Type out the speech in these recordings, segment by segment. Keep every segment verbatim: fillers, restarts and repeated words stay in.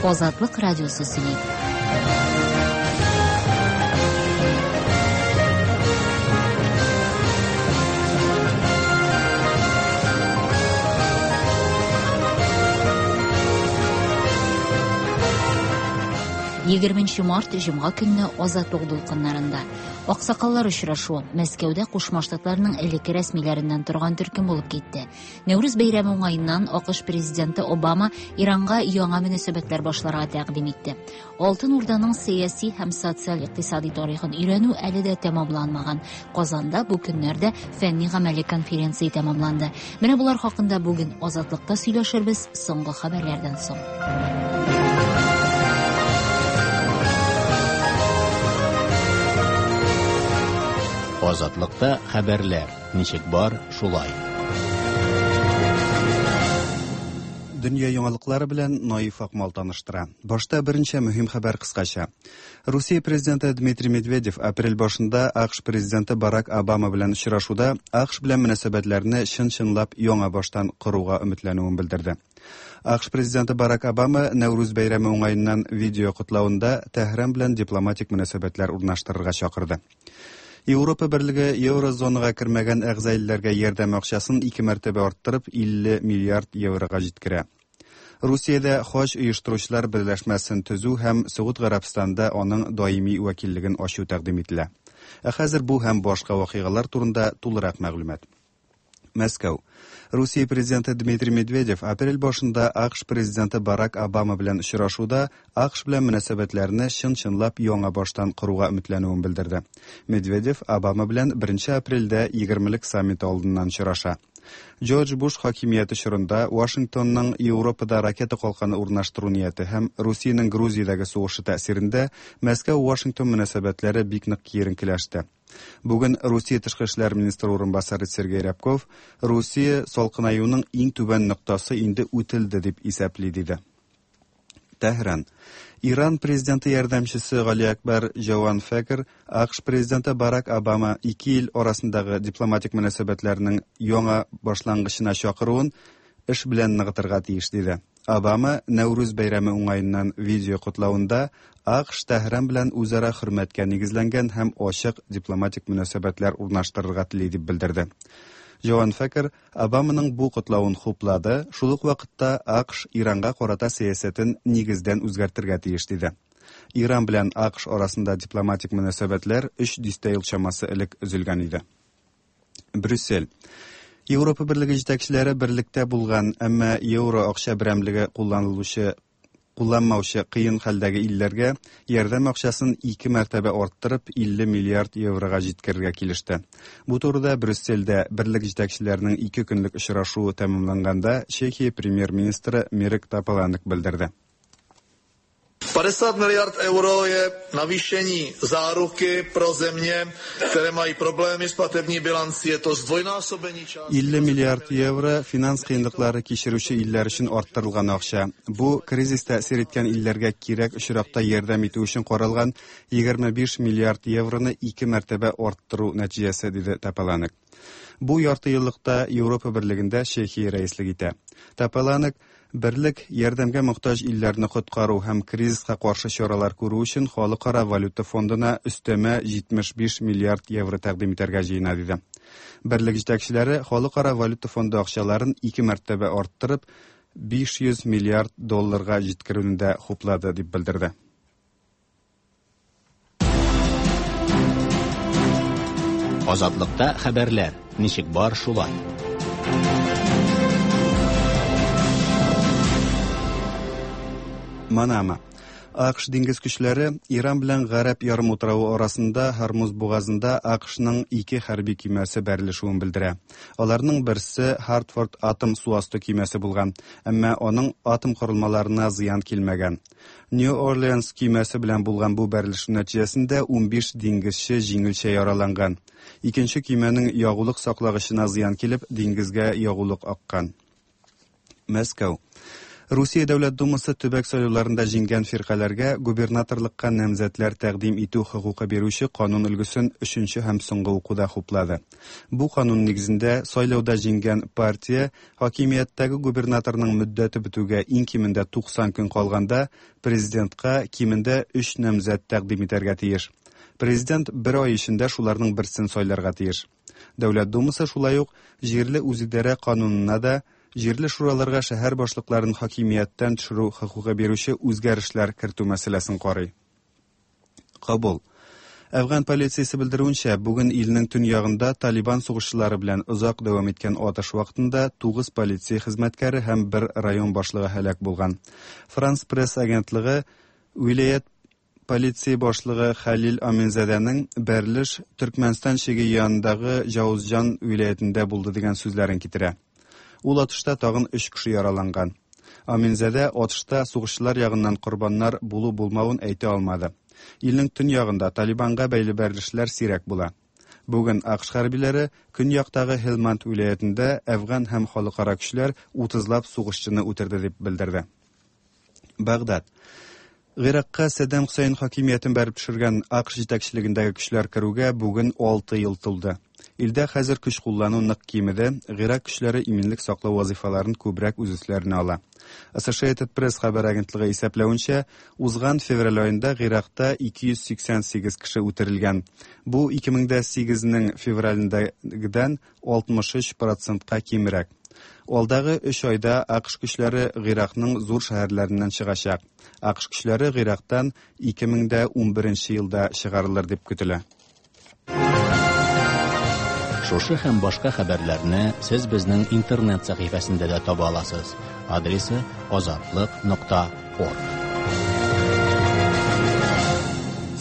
Азатлык радиосы сөйли. Егерменче март җомга көнне Азатлык дулкыннарында Аксакаллар очрашуы Мәскәүдә Кушма Штатларның элекке рәсмиләреннән торган төркем булып китте. Нәүрүз бәйрәме уңаеннан АКШ президенты Обама Иранга яңа мөнәсәбәтләр башларга тәкъдим итте. Алтын Урданың сәяси һәм социаль-икътисади тарихын өйрәнү әле дә тәмамланмаган. Казанда бу көннәрдә фәнни-гамәли конференция тәмамланды. Менә булар хакында бүген Азатлыкта сөйләшербез соңгы хәбәрләрдән соң. Азатлыкта хәбәрләр ничек бар, шулай. Дөнья яңалыклары белән Наиф Акмал таныштыра. Башта берничә мөһим хәбәр кыскача. Русия президенты Дмитрий Медведев апрель башында АКШ президенты Барак Обама белән очрашуда АКШ белән мөнәсәбәтләрне чын-чынлап яңа баштан коруга өметләнүен белдерде. АКШ президенты Барак Обама Нәүрүз бәйрәме уңаеннан видео котлавында Тәһран белән дипломатик мөнәсәбәтләр урнаштырырга чакырды. Европа берлеге еврозонага кермәгән әгъза илләргә ярдәм акчасын ике мәртәбә арттырып илле миллиард еврога җиткерә. Русиядә хаҗ оештыручылар берләшмәсен төзү һәм Согуд Гарәбстанда аның даими вәкиллеген ачу тәкъдим ителә. Ә хәзер бу һәм башка вакыйгалар турында тулырак мәгълүмат. Мәскәү. Русия президенты Дмитрий Медведев апрель башында АКШ президенты Барак Обама белән очрашуда АКШ белән мөнәсәбәтләрне чын-чынлап яңа баштан коруга өметләнүен белдерде. Медведев Обама белән беренче апрельдә егермелек саммиты алдыннан очраша. Джордж Буш хакимияте чорында Вашингтонның Европада ракета калканы урнаштыру нияте һәм Русиянең Грузиядәге сугышы тәэсирендә Мәскәү-Вашингтон мөнәсәбәтләре бик нык киеренкеләште. Бүген Русия тышкы эшләр министры урынбасары Сергей Рябков Русия салкынаюның иң түбән ноктасы инде үтелде дип исәпли диде. Тәһран. Иран президенты ярдәмчесе Гали Акбар Җаван Фәкер АКШ президенты Барак Обама ике ил арасындагы дипломатик мөнәсәбәтләрнең яңа башлангычына чакыруын эш белән ныгытырга тиеш диде. Обама Нәүрүз бәйрәме уңаеннан видео котлавында АКШ Тәһран белән үзара хөрмәткә нигезләнгән һәм ачык дипломатик мөнәсәбәтләр урнаштырырга тели дип белдерде. Җаван Фәкер Обаманың бу котлавын хуплады, шул ук вакытта АКШ Иранга карата сәясәтен нигездән үзгәртергә тиеш диде. Иран белән АКШ арасында дипломатик мөнәсәбәтләр өч дистә ел чамасы элек өзелгән иде. Брюссель. Европа берлеге җитәкчеләре берлектә булган, әмма евро акча берәмлеге кулланылучы кулланмаучы кыен хәлдәге илләргә ярдәм акчасын ике мәртәбә арттырып илле миллиард еврога җиткерергә килеште. Бу турыда Брюссельдә берлек җитәкчеләренең ике көнлек очрашуы тәмамланганда Чехия премьер-министры Мирек Тополанек белдерде. padesát miliard euro je navýšení záruky pro země, které mají problémy s platební bilancí. Je to zdvojnásobení částky. илле миллиард евро финанс кыенлыклары кичерүче илләр өчен арттырылган акча. Бу кризис тәэсир иткән илләргә кирәк очракта ярдәм итү өчен каралган егерме биш миллиард евроны ике мәртәбә арттыру нәтиҗәсе, диде Тополанек. Бу ярты еллыкта Европа берлегендә Чехия рәислек итә. Тополанек берлек ярдәмгә мохтаҗ илләрне коткару һәм кризиска каршы чаралар күрү өчен Халыкара валюта фондына өстәмә җитмеш биш миллиард евро тәкъдим итәргә җыена, диде. Берлек җитәкчеләре Халыкара валюта фонды акчаларын ике мәртәбә арттырып биш йөз миллиард долларга җиткерүне дә хуплады, дип белдерде. Азатлыкта хәбәрләр ничек бар, шулай. Манама. АКШ диңгез көчләре Иран белән Гарәп ярымутравы арасында Һормуз бугазында АКШның ике хәрби көймәсе бәрелешүен белдерә. Аларның берсе Хартфорд атом су асты көймәсе булган, әмма аның атом корылмаларына зыян килмәгән. Нью Орлеанс көймәсе белән булган бу бәрелешү нәтиҗәсендә унбиш диңгезче җиңелчә яраланган. Икенче көймәнең ягулык саклагычына зыян килеп, диңгезгә ягулык аккан. Мәскәү. Русия Дәүләт Думасы төбәк сайлауларында җиңгән фиркаләргә губернаторлыкка намзәтләр тәкъдим итү хокукы бирүче канун өлгесен өченче һәм соңгы укуда хуплады. Бу канун нигезендә сайлауда җиңгән партия хакимияттәге губернаторның мөддәте бетүгә иң кимендә туксан көн калганда президентка кимендә өч намзәт тәкъдим итәргә тиеш. Президент бер ай эчендә шуларның берсен сайларга тиеш. Дәүләт Думасы шулай ук җирле үзидарә канунына да җирле шураларга шәһәр башлыкларын хакимияттән төшерү хокукы бирүче үзгәрешләр кертү мәсьәләсен карый. Кабул. Әфган полициясе белдерүенчә, бүген илнең төньягында Талибан сугышчылары белән озак дәвам иткән атыш вакытында тугыз полиция хезмәткәре һәм бер район башлыгы һәлак булган. Франс Пресс агентлыгы вилаят полиция башлыгы Халил Аминзадәнең бәрелеш Төркмәнстан чиге янындагы Җаузҗан вилаятендә булды дигән сүзләрен китерә. Ул атышта тагын өч кеше яраланган. Аминзадә атышта сугышчылар ягыннан корбаннар булу-булмавын әйтә алмады. Илнең төньягында Талибанга бәйле бәрелешләр сирәк була. Бүген АКШ хәрбиләре көньяктагы Һелманд вилаятендә әфган һәм халыкара көчләр утызлап сугышчыны үтерде дип белдерде. Багдад. Гыйракка Саддам Хусейн хакимиятен бәреп төшергән АКШ җитәкчелегендәге көчләр керүгә бүген алты ел тулды. Илдә хәзер көч куллану нык кимеде, Гыйрак көчләре иминлек саклау вазифаларын күбрәк үз өсләренә ала. Associated Press хәбәр агентлыгы исәпләвенчә, узган февраль аенда Гыйракта ике йөз сиксән сигез кеше үтерелгән. Бу ике мең дә сигезнең февралендәгедән алтмыш өч процентка кимрәк. Алдагы өч айда АКШ көчләре Гыйракның зур шәһәрләреннән чыгачак. АКШ көчләре Гыйрактан ике мең дә унберенче елда чыгарылыр дип көтелә. Шушы һәм башка хәбәрләрне сез безнең интернет сәхифәсендә дә таба аласыз. Адресы азатлык нокта орг.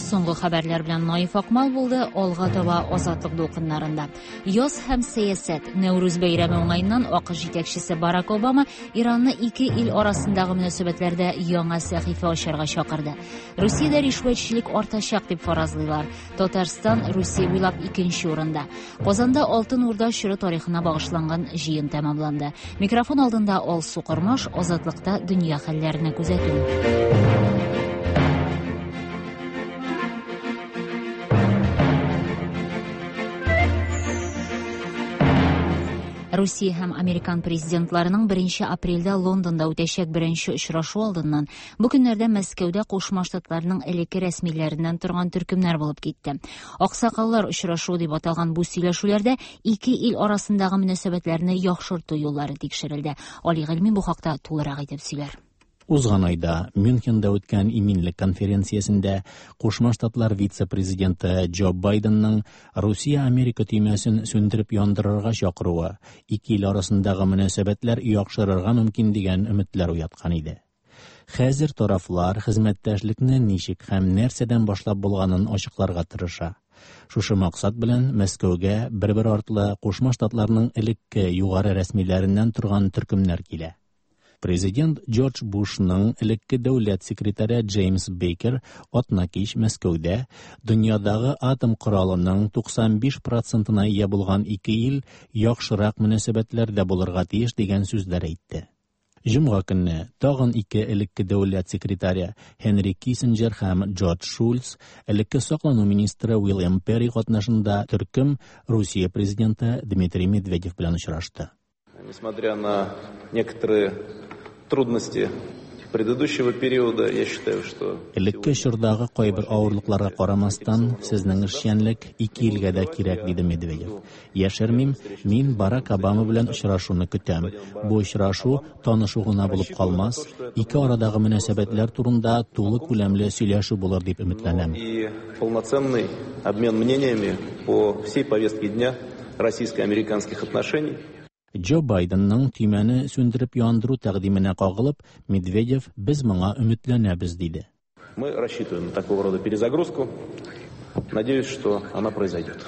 Соңгы хәбәрләр белән Наиф Акмал булды. Алга таба Азатлык дулкыннарында. Яз һәм сәясәт. Нәүрүз бәйрәме уңаеннан АКШ җитәкчесе Барак Обама Иранны ике ил арасындагы мөнәсәбәтләрдә яңа сәхифә ачарга чакырды. Русиядә ришвәтчелек артачак дип фаразлыйлар. Татарстан Русия буйлап икенче урында. Казанда Алтын Урда чоры тарихына багышланган җыен тәмамланды. Микрофон алдында Алсу Кормаш, Азатлыкта дөнья хәлләренә күзәтү. Русия һәм Американ президентларының беренче апрельдә Лондонда үтәчәк беренче очрашу алдыннан бу көннәрдә Мәскәүдә Кушма Штатларның элекке рәсмиләреннән торган төркемнәр булып китте. Аксакаллар очрашуы дип аталган бу сөйләшүләрдә ике ил арасындагы мөнәсәбәтләрне яхшырту юллары тикшерелде. Али Гыйльми бу хакта тулырак итеп сөйләр. Узган айда Мюнхенда үткән иминлек конференциясендә Кушма Штатлар вице-президенты Джо Байденның Русия-Америка төймәсен сүндереп яндырырга чакыруы ике ил арасындагы мөнәсәбәтләр яхшырырга мөмкин дигән өметләр уяткан иде. Хәзер тарафлар хезмәттәшлекне ничек һәм нәрсәдән башлап булганын ачыкларга тырыша. Шушы максат белән Мәскәүгә бер-бер артлы Кушма Штатларның элекке югары рәсмиләреннән торган төркемнәр килә. Президент Джордж Бушның элекке дәүләт секретаре Джеймс Бейкер атна кич Мәскәүдә дөньядагы атом коралының туксан биш процентына ия булган ике ил яхшырак мөнәсәбәтләрдә булырга тиеш дигән сүзләр әйтте. Җомга көнне тагын ике элекке дәүләт секретаре Хенри Киссинджер һәм Джордж Шульц, элекке саклану министры Уильям Перри катнашында төркем Русия президенты Дмитрий Медведев белән очрашты. Несмотря на некоторые трудности предыдущего периода, я считаю, что Элекке чордагы кайбер авырлыкларга карамастан, сезнең эшчәнлек ике илгә дә кирәк, диде Медведев. Яшермим, мин Барак Обама белән очрашуны көтәм. Бу очрашу танышу гына булып калмас, ике арадагы мөнәсәбәтләр турында тулы күләмле сөйләшү булыр дип өметләнәм. И полноценный обмен мнениями по всей повестке дня российско-американских отношений. Джо Байденның төймәне сүндереп яндыру тәкъдименә кагылып, Медведев без моңа өметләнәбез диде. Мы рассчитываем на такого рода перезагрузку. Надеюсь, что она произойдет.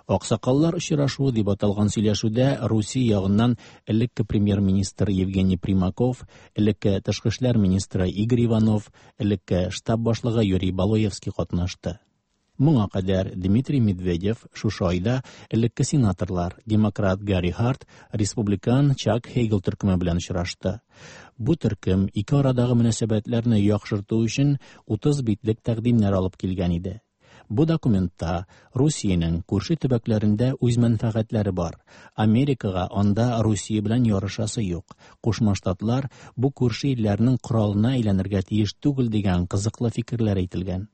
Аксакаллар очрашуы дип аталган сөйләшүдә Русия ягыннан элекке премьер-министр Евгений Примаков, элекке тышкы эшләр министры Игорь Иванов, элекке штаб башлыгы Юрий Балуевский катнашты. Моңа кадәр Дмитрий Медведев шушы айда элекке сенаторлар демократ Гарри Харт, республикан Чак Хейгел төркеме белән очрашты. Бу төркем ике арадагы мөнәсәбәтләрне яхшырту өчен утыз битлек тәкъдимнәр алып килгән иде. Бу документта Русиянең күрше төбәкләрендә үз мәнфәгатьләре бар. Америкага анда Русия белән ярышасы юк. Кушма Штатлар бу күрше илләрнең коралына әйләнергә тиеш түгел дигән кызыклы фикерләр әйтелгән.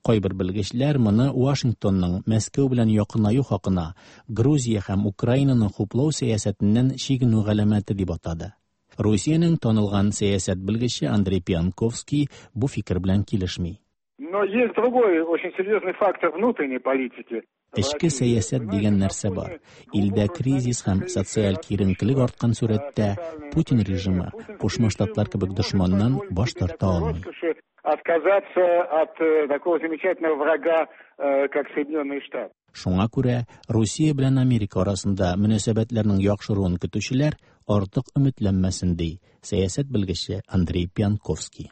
Кайбер белгечләр моны Вашингтонның Мәскәү белән якынаю хакына Грузия һәм Украинаның хуплау сәясәтеннән чигенү галәмәте дип атады. Русиянең танылган сәясәт белгече Андрей Пьянковский бу фикер белән килешми. Но есть другой очень серьезный фактор внутренней политики. Эчке сәясәт дигән нәрсә бар. Илдә кризис һәм социаль киеренкелек арткан сурәттә Путин режимы Кушма Штатлар кебек дошманнан баш тарта алмый. Отказаться от такого замечательного врага, как Соединенные Штаты. Шуңа күрә Русия белән Америка арасында мөнәсәбәтләрнең яхшыруын көтүчеләр артык өметләнмәсен, ди сәясәт белгече Андрей Пьянковский.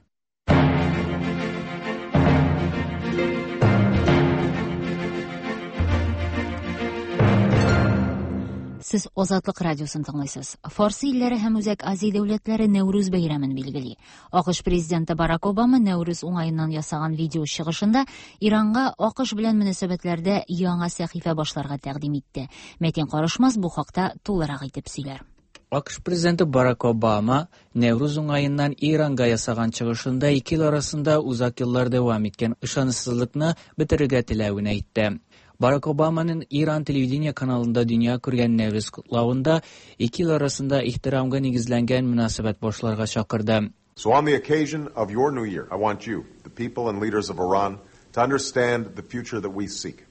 Сез Азатлык радиосын тыңлыйсыз. Фарсы илләре һәм Үзәк Азия дәүләтләре Нәүрүз бәйрәмен билгели. АКШ президенты Барак Обама Нәүрүз уңаеннан ясаган видео чыгышында Иранга АКШ белән мөнәсәбәтләрдә яңа сәхифә башларга тәкъдим итте. Мәтин Карышмас бу хакта тулырак итеп сөйләр. АКШ президенты Барак Обама Нәүрүз уңаеннан Иранга ясаган чыгышында ике ил арасында узак еллар дәвам иткән ышанычсызлыкны бетерергә теләвен әйтте. Барак Обаманың Иран телевидение каналында дөнья күргән Нәүрүз котлавында ике ил арасында ихтирамга нигезләнгән мөнәсәбәт башларга чакырды. So on the occasion of your new year, I want you, the people and leaders of Iran, to understand the future that we seek.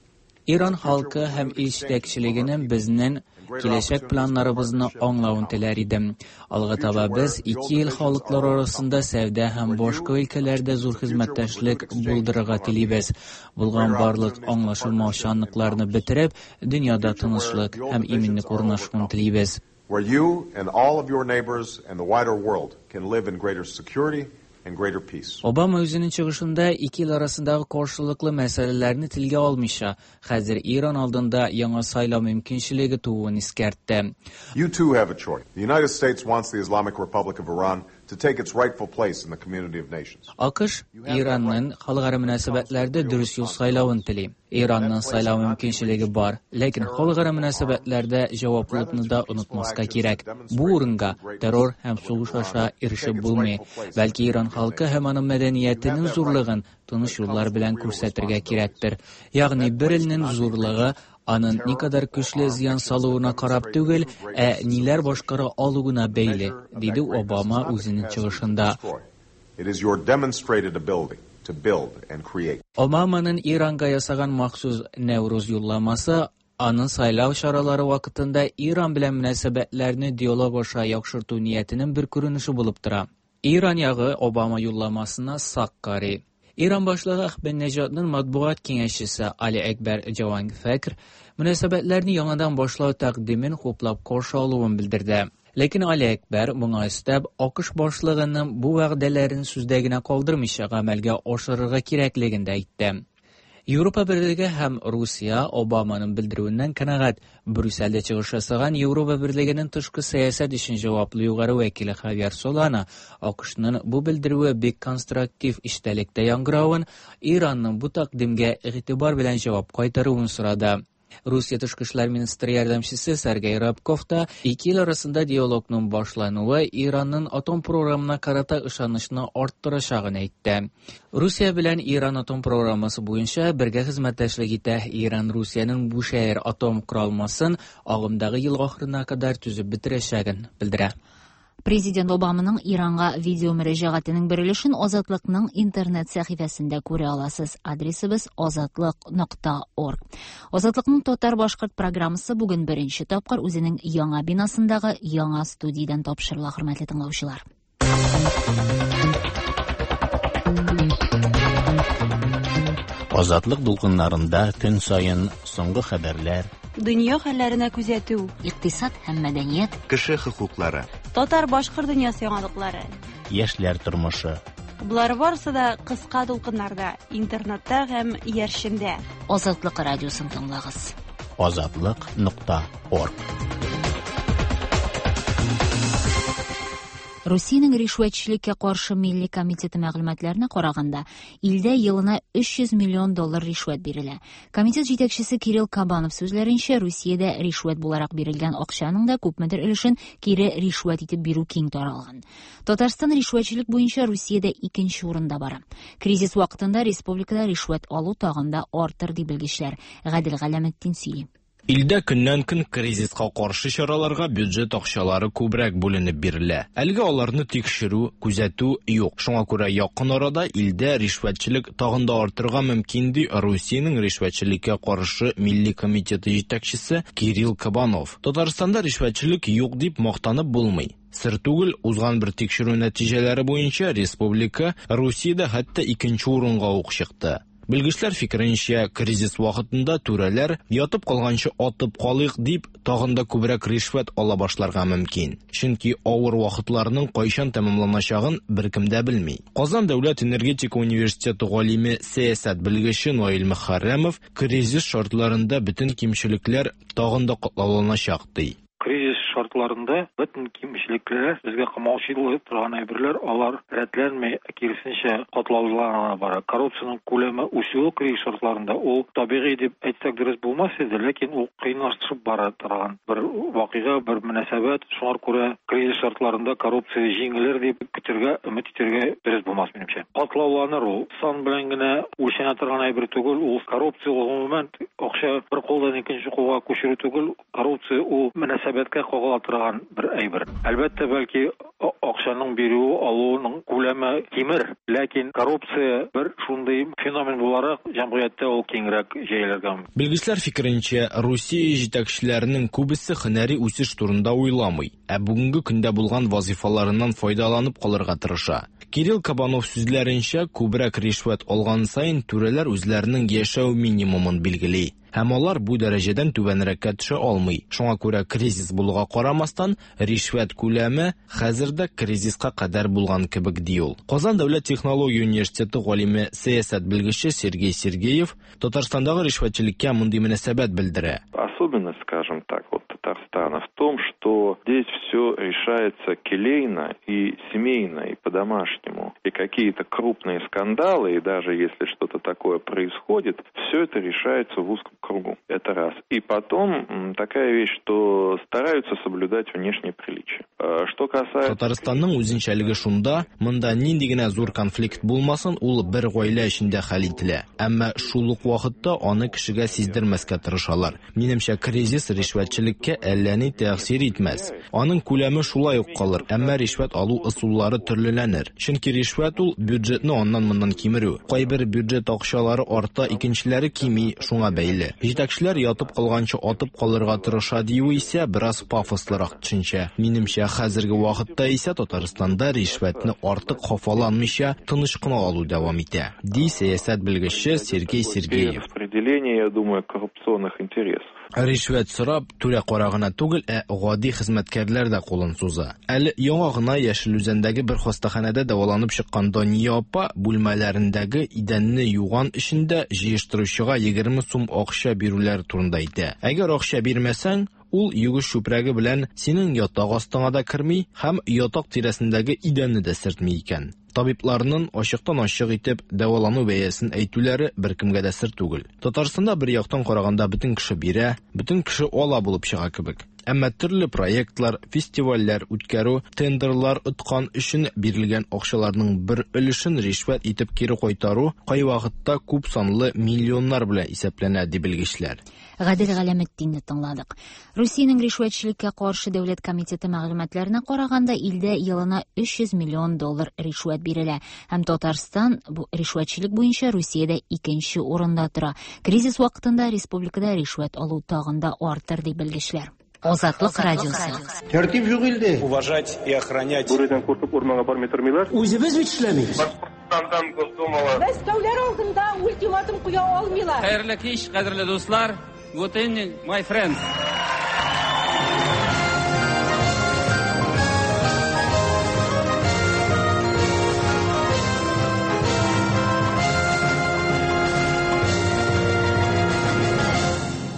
Иран халкы һәм ил җитәкчелегенең безнең киләчәк планнарыбызны аңлавын теләр идем. Алга таба без ике ил халыклары арасында сәүдә һәм башка өлкәләрдә зур хезмәттәшлек булдырырга телибез. Булган барлык аңлашылмаучанлыкларны бетереп, дөньяда тынычлык һәм иминлек урнашуын телибез. Where you and all of your neighbors and the wider world can live in greater security and greater peace. Обама үзенең чыгышында ике ил арасындагы каршылыклы мәсьәләләрне телгә алмыйча, хәзер Иран алдында яңа сайлау мөмкинчелеге тууын искәртте. You too have a choice. The United States wants the Islamic Republic of Iran to take its rightful place in the community of nations. АКШ Иранның халыкара мөнәсәбәтләрдә дөрес юл сайлавын тели. Иранның сайлау мөмкинчелеге бар, ләкин халыкара мөнәсәбәтләрдә җаваплылыкны да онытмаска кирәк. Бу урынга террор һәм сугыш аша ирешеп булмый. Бәлки Иран халкы һәм аның мәдәниятенең зурлыгын тыныч юллар белән күрсәтергә кирәктер. Ягъни бер илнең зурлыгы аның никадәр көчле зыян салуына карап түгел, ә ниләр башкара алуына бәйле, диде Обама үзенең чыгышында. It is your demonstrated ability to build and create. Обаманың Иранга ясаган махсус Нәүрүз юлламасы аның сайлау чаралары вакытында Иран белән мөнәсәбәтләрне диалог аша яхшырту ниятенең бер күренеше булып тора. Иран ягы Обама юлламасына сак карый. Иран башлыгы Әхмәдинежадның матбугат киңәшчесе Али Әкбәр Җаванфәкр мөнәсәбәтләрне яңадан башлау тәкъдимен хуплап каршы алуын белдерде. Ләкин Али Әкбәр моңа өстәп АКШ башлыгының бу вәгъдәләрен сүздә генә калдырмыйча гамәлгә ашырырга кирәклеген дә әйтте. Европа Берлеге һәм Русия Обаманың белдерүеннән канәгать. Брюссельдә чыгыш ясаган Европа Берлегенең тышкы сәясәт өчен җаваплы югары вәкиле Хавьер Солана АКШның бу белдерүе бик конструктив эчтәлектә яңгыравын, Иранның бу тәкъдимгә игътибар белән җавап кайтаруын сорады. Русия тышкы эшләр министры ярдәмчесе Сергей Рябков та ике ил арасында диалогның башлануы Иранның атом програмына карата ышанычны арттырачагын әйтте. Русия белән Иран атом программасы буенча бергә хезмәттәшлек итә. Иран Русиянең Бушәһәр атом коралмасын агымдагы ел ахырына кадәр төзеп бетерәчәген белдерә. Президент Обаманың Иранга видео мөрәҗәгатенең бер өлешен Азатлыкның интернет сәхифәсендә күрә аласыз. Адресыбыз азатлык нокта орг. Азатлыкның татар-башкорт программасы бүген беренче тапкыр үзенең яңа бинасындагы яңа студиядән тапшырыла, хөрмәтле тыңлаучылар. Азатлык дулкыннарында көн саен соңгы хәбәрләр, дөнья хәлләренә күзәтү, икътисад һәм мәдәният, кеше хокуклары, татар-башкорт дөньясы яңалыклары, яшьләр тормышы. Болар барысы да кыска дулкыннарда, интернетта һәм иярчендә. Азатлык радиосын тыңлагыз. Азатлык нокта орг. Русиянең ришвәтчелеккә каршы милли комитеты мәгълүматларына караганда, илдә елына өч йөз миллион доллар ришвәт бирелә. Комитет җитәкчесе Кирилл Кабанов сүзләренчә, Русиядә ришвәт буларак бирелгән акчаның да күпмедер өлешен кире ришвәт итеп бирү киң таралган. Татарстан ришвәтчелек буенча Русиядә икенче урында бара. Кризис вакытында республикада ришвәт алу тагын да артыр, ди белгечләр. Гадел Галәметдин сөйли. Илдә көннән-көн кризиска каршы чараларга бюджет акчалары күбрәк бүленеп бирелә. Әлегә аларны тикшерү, күзәтү юк. Шуңа күрә якын арада илдә ришвәтчелек тагын да артырга мөмкин, ди Русиянең ришвәтчелеккә каршы милли комитеты җитәкчесе Кирилл Кабанов. Татарстанда ришвәтчелек юк дип мактанып булмый. Сер түгел, узган бер тикшерү нәтиҗәләре буенча республика Русиядә хәтта икенче урынга ук чыкты. Белгечләр фикеренчә, кризис вакытында түрәләр ятып калганчы атып калыйк дип тагын да күбрәк ришвәт ала башларга мөмкин. Чөнки авыр вакытларның кайчан тәмамланачагын беркем дә белми. Казан дәүләт энергетика университеты галиме, сәясәт белгече Наил Мөхәррәмов кризис шартларында бөтен кимчелекләр тагын да катлауланачак ди. Кризис шартларында бөтен кимчелекләр, безгә камаучылык торган әйберләр, алар рәтләнми, киресенчә катлаулана бара. Коррупциянең күләме үсүе кризис шартларында ул табигый дип әйтсәк дөрес булмас иде, ләкин ул кыенлаштырып бара торган бер вакыйга, бер мөнәсәбәт. Шуңа күрә кризис шартларында коррупция җиңелер дип көтергә, өмет итәргә дөрес булмас минемчә. Катлауланыр ул. Сан белән генә үлчәнә торган әйбер түгел, ул коррупция гомумән акча бер кулдан икенче кулга күчерү түгел, коррупция ул мөнәсәбәткә кагыла торган бер әйбер. Әлбәттә, бәлки акчаның бирүе, алуының күләме кимер, ләкин коррупция бер шундый феномен буларак җәмгыятьтә ул киңрәк җәелергә мөмкин. Белгечләр фикеренчә, Русия җитәкчеләренең күбесе һөнәри үсеш турында уйламый, ә бүгенге көндә булган вазифаларыннан файдаланып калырга тырыша. Кирилл Кабанов сүзләренчә, күбрәк ришвәт алган саен түрәләр үзләренең яшәү минимумын билгели. Һәм алар бу дәрәҗәдән түбәнрәккә төшә алмый. Шуңа күрә кризис булуга карамастан, ришвәт күләме хәзер дә кризиска кадәр булган кебек, ди ул. Казан дәүләт технология университеты галиме, сәясәт белгече Сергей Сергеев Татарстандагы ришвәтчелеккә мондый мөнәсәбәт белдерә. Особенность, скажем так, вот Татарстана в том, что здесь все решается келейно и семейно, и по-домашнему. И какие-то крупные скандалы, и даже если что-то такое происходит, все это решается в узком кругу. Это раз. И потом такая вещь, что стараются соблюдать внешние приличия. Что касается... Татарстанның үзенчәлеге шунда, монда нинди генә зур конфликт булмасын, ул бер гаилә эчендә хәл ителә. Әмма шул ук вакытта аны кешегә сиздермәскә тырышалар. Минемчә, кризис ришвәтчелеккә әллә ни тәэсир итмәс. Аның күләме шулай ук калыр, әмма ришвәт алу ысуллары төрлеләнер. Чөнки ришвәт ул бюджетны аннан-моннан кимерү. Кайбер бюджет акчалары арта, икенчеләре кими, шуңа бәйле. Җитәкчеләр ятып калганчы атып калырга тырыша дию исә бераз пафослырак төшенчә. Минемчә, хәзерге вакытта исә Татарстанда ришвәтне артык хафаланмыйча тыныч кына алу дәвам итә, ди сәясәт белгече Сергей Сергеев. Распределение, я думаю, коррупционных интересов. Ришвәт сорап, түрә кара гына түгел, ә гади хезмәткәрләр дә кулын суза. Әле яңа гына Яшел Үзәндәге бер хастаханәдә дәваланып чыккан Дания апа бүлмәләрендәге идәнне юган эшендә җыештыручыга егерме сум акча бирүләр турында әйтә. Әгәр акча бирмәсәң, ул югыш чүпрәге белән синең ятак астыңа да керми һәм ятак тирәсендәге идәнне дә сөртми икән. Табибларның ачыктан-ачык итеп дәвалану бәясен әйтүләре беркемгә дә сер түгел. Татарстанда бер яктан караганда бөтен кеше бирә, бөтен кеше ала булып чыга кебек. Әмма төрле проектлар, фестивальләр үткәрү, тендерлар откан өчен бирелгән акчаларның бер өлешен ришвәт итеп кире кайтару кайвакытта күп санлы миллионнар белән исәпләнә, ди белгечләр. Гадел Галәметдинне тыңладык. Русиянең ришвәтчелеккә каршы дәүләт комитеты мәгълүматларына караганда, илдә елына өч йөз миллион доллар ришвәт бирелә. Һәм Татарстан бу ришвәтчелек буенча Русиядә икенче урында тора. Кризис вакытында республикада ришвәт алу тагын да артыр, ди белгечләр. Азатлык радиосы. Тәртип юк илдә. Уважать и охранять. Бүредән куркып урманга бармый тормыйлар. Үзебез бит эшләмибез. Башкортстандан Госдумага. Мәскәүләр алдында ультиматум куя алмыйлар. Хәерле кич, кадерле дуслар. Good evening, my friends.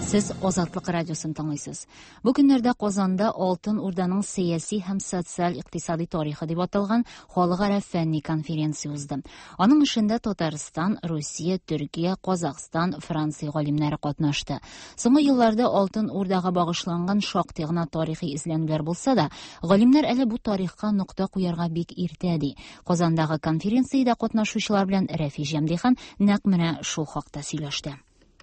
Сез Азатлык радиосын тыңлыйсыз. Бу көннәрдә Казанда Алтын Урданың сәяси һәм социаль-икътисади тарихы дип аталган халыкара фәнни конференция узды. Аның эшендә Татарстан, Русия, Төркия, Казахстан, Франция галимнәре катнашты. Соңгы елларда Алтын Урдага багышланган шактый гына тарихи эзләнүләр булса да, галимнәр әле бу тарихка нокта куярга бик иртә ди. Казандагы конференциядә катнашучылар белән Рәфи Җәмдихан нәкъ менә шул хакта сөйләште.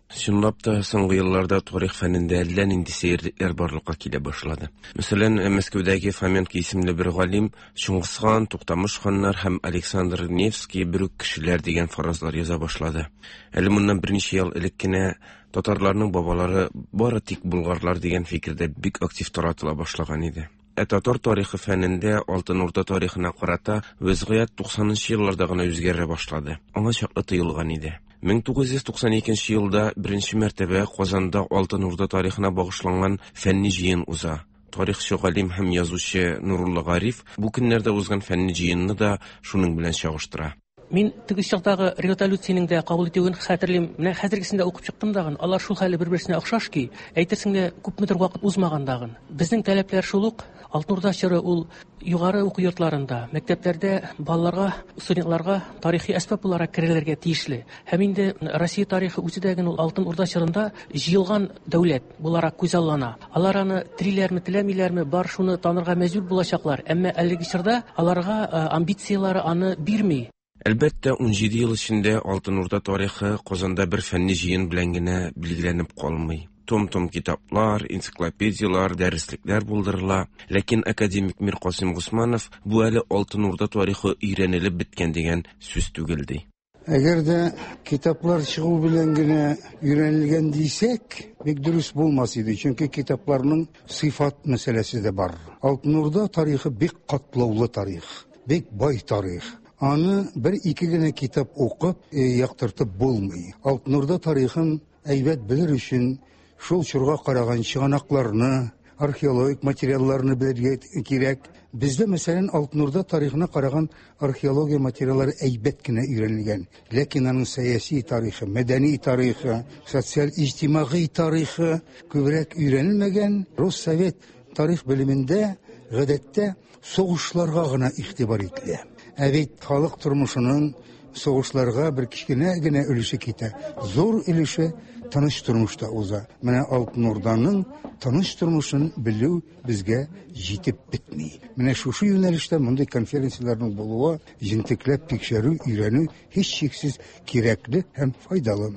Чынлап та, соңгы елларда тарих фәнендә әллә нинди сәерлекләр барлыкка килә башлады. Мәсәлән, Мәскәүдәге Фоменко исемле бер галим Чыңгыз хан, Туктамыш ханнар һәм Александр Невский бер үк кешеләр дигән фаразлар яза башлады. Әле моннан берничә ел элек кенә татарларның бабалары бары тик булгарлар дигән фикер дә бик актив таратыла башлаган иде. Ә татар тарихы фәнендә Алтын Урда тарихына карата вәзгыять туксанынчы елларда гына үзгәрә башлады. Аңа чаклы тыелган иде. мең тугыз йөз туксан икенче елда беренче мәртәбә Казанда Алтын Урда тарихына багышланган фәнни җыен уза. Тарихчы галим һәм язучы Нурулла Гариф бу көннәрдә узган фәнни җыенны да шуның белән чагыштыра. Мин теге чактагы резолюциянең дә кабул итүен хәтерлим. Менә хәзергесен дә укып чыктым дагын. Алар шул хәле бер-берсенә охшаш ки, әйтерсең лә күпмедер вакыт узмаган дагын. Безнең таләпләр шул ук. Алтын Урда чоры ул югары уку йортларында, мәктәпләрдә балаларга, студентларга тарихи әсбап буларак керелергә тиешле. Һәм инде Россия тарихы үзе дә ул Алтын Урда чорында җыелган дәүләт буларак күзаллана. Алар аны телиләрме, теләмиләрме, бар шуны танырга мәҗбүр булачаклар. Әмма әлеге чорда аларга амбицияләре аны бирми. Әлбәттә, ун җиде ел эчендә Алтын Урда тарихы Казанда бер фәнни җыен белән генә билгеләнеп калмый. Том-том китаплар, энциклопедиялар, дәреслекләр булдырыла. Ләкин академик Миркасыйм Госманов бу әле Алтын Урда тарихы өйрәнелеп беткән дигән сүз түгел ди. Әгәр дә китаплар чыгу белән генә өйрәнелгән дисәк, бик дөрес булмас иде, чөнки китапларның сыйфат мәсьәләсе дә бар. Алтын Урда тарихы бик катлаулы тарих, бик бай тарих. Аны бер-ике генә китап укып, яктыртып булмый. Алтын Урда тарихын әйбәт белер өчен шул чорга караган чыганакларны, археологик материалларны белергә кирәк. Бездә, мәсәлән, Алтын Урда тарихына караган археология материаллары әйбәт кенә өйрәнелгән. Ләкин аның сәяси тарихы, мәдәни тарихы, социаль-иҗтимагый тарихы күбрәк өйрәнелмәгән. Рус совет тарих белемендә гадәттә сугышларга гына игътибар ителә. Ә бит халык тормышының сугышларга бер кечкенә генә өлеше китә. Зур өлеше тыныч тормышта уза. Менә Алтын Урданың тыныч тормышын белү безгә җитеп бетми. Менә шушы юнәлештә мондый конференцияләрнең булуы, җентекләп тикшерү, өйрәнү һичшиксез кирәкле һәм файдалы.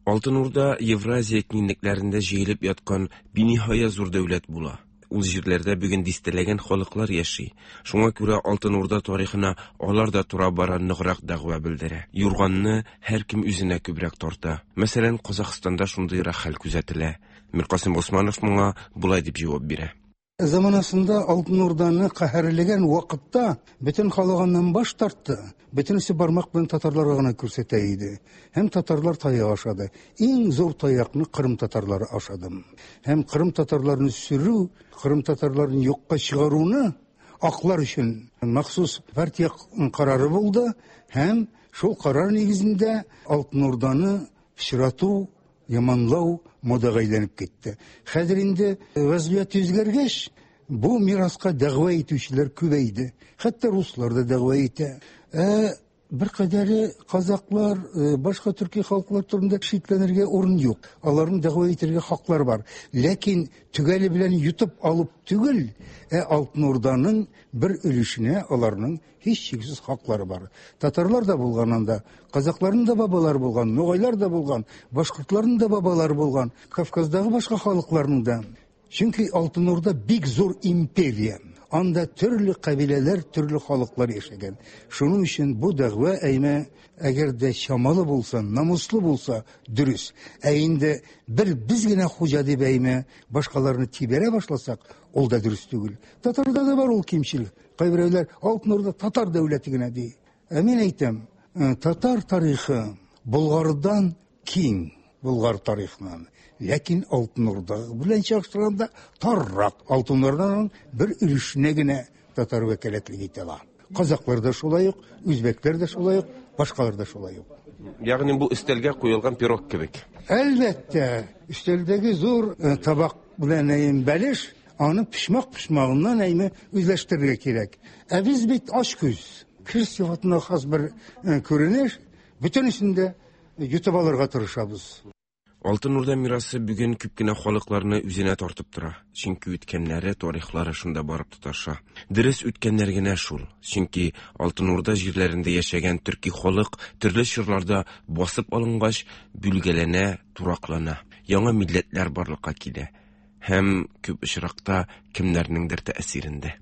Алтын Урда Евразия киңлекләрендә җыелып яткан биниһая зур дәүләт була. Ул җирләрдә бүген дистәләгән халыклар яши. Шуңа күрә Алтын Урда тарихына алар да тора-бара ныграк дәгъва белдерә. Юрганны һәркем үзенә күбрәк тарта. Мәсәлән, Казахстанда шундыйрак хәл күзәтелә. Миркасыйм Госманов моңа болай дип җавап бирә. Заманасында Алтын Урданы каһәрләгән вакытта бөтен халык аннан баш тартты. Бөтенесе бармак белән татарларга гына күрсәтә иде. Һәм татарлар таяк ашады. Иң зур таякны Кырым татарлары ашады. Һәм Кырым татарларын сүрү, Кырым татарларын юкка чыгаруны аклар өчен махсус партия карары булды. Һәм шул карар нигезендә Алтын Урданы пычрату, яманлау модага әйләнеп китте. Хәзер инде вәзгыять үзгәргәч, бу мираска дәгъва итүчеләр күбәйде. Хәтта руслар да дәгъва итә. Ә бер кадәре казаклар, башка төрки халыклар турында шикләнергә урын юк. Аларның дәгъва итәргә хаклары бар. Ләкин төгәле белән йотып алып түгел, ә Алтын Урданың бер өлешенә аларның һичшиксез хаклары бар. Татарлар да булган анда, казакларның да бабалары булган, ногайлар да булган, башкортларның да бабалары булган, Кавказдагы башка халыкларның да. Чөнки Алтын Урда бик зур империя. Анда төрле кабиләләр, төрле халыклар яшәгән. Шуның өчен бу дәгъва әймә, әгәр дә чамалы булса, намуслы булса, дөрес. Ә инде бер без генә хуҗа дип әймә, башкаларны тибәрә башласак, ул да дөрес түгел. Татарда да бар ул кимчелек. Кайберәүләр Алтын Урда татар дәүләте генә ди. Ә мин әйтәм, татар тарихы Болгардан киң, Болгар тарихыннан. Ләкин Алтын Урда белән чагыштырганда таррак. Алтын Урданың бер өлешенә генә татар вәкаләтлек итә ала. Казаклар да шулай ук, үзбәкләр дә шулай ук, башкалар да шулай ук. Ягъни бу өстәлгә куелган пирог кебек. Әлбәттә, өстәлдәге зур табак белән әйм бәлеш, аны пешмак-пешмагыннан әйме үзләштерергә кирәк. Ә без бит ач күз. Кеше сыйфатына хас бер күренеш, бөтенесен дә йотып алырга тырышабыз. Алтын Урда мирасы бүген күп кенә халыкларны үзенә тартып тора. Чөнки үткәннәре, тарихлары шунда барып тоташа. Дөрес үткәннәр генә шул. Чөнки Алтын Урда җирләрендә яшәгән төрки халык төрле чорларда басып алынгач, бүлгәләнә, тураклана. Яңа милләтләр барлыкка килә. Һәм күп очракта кемнәрнеңдер тәэсирендә.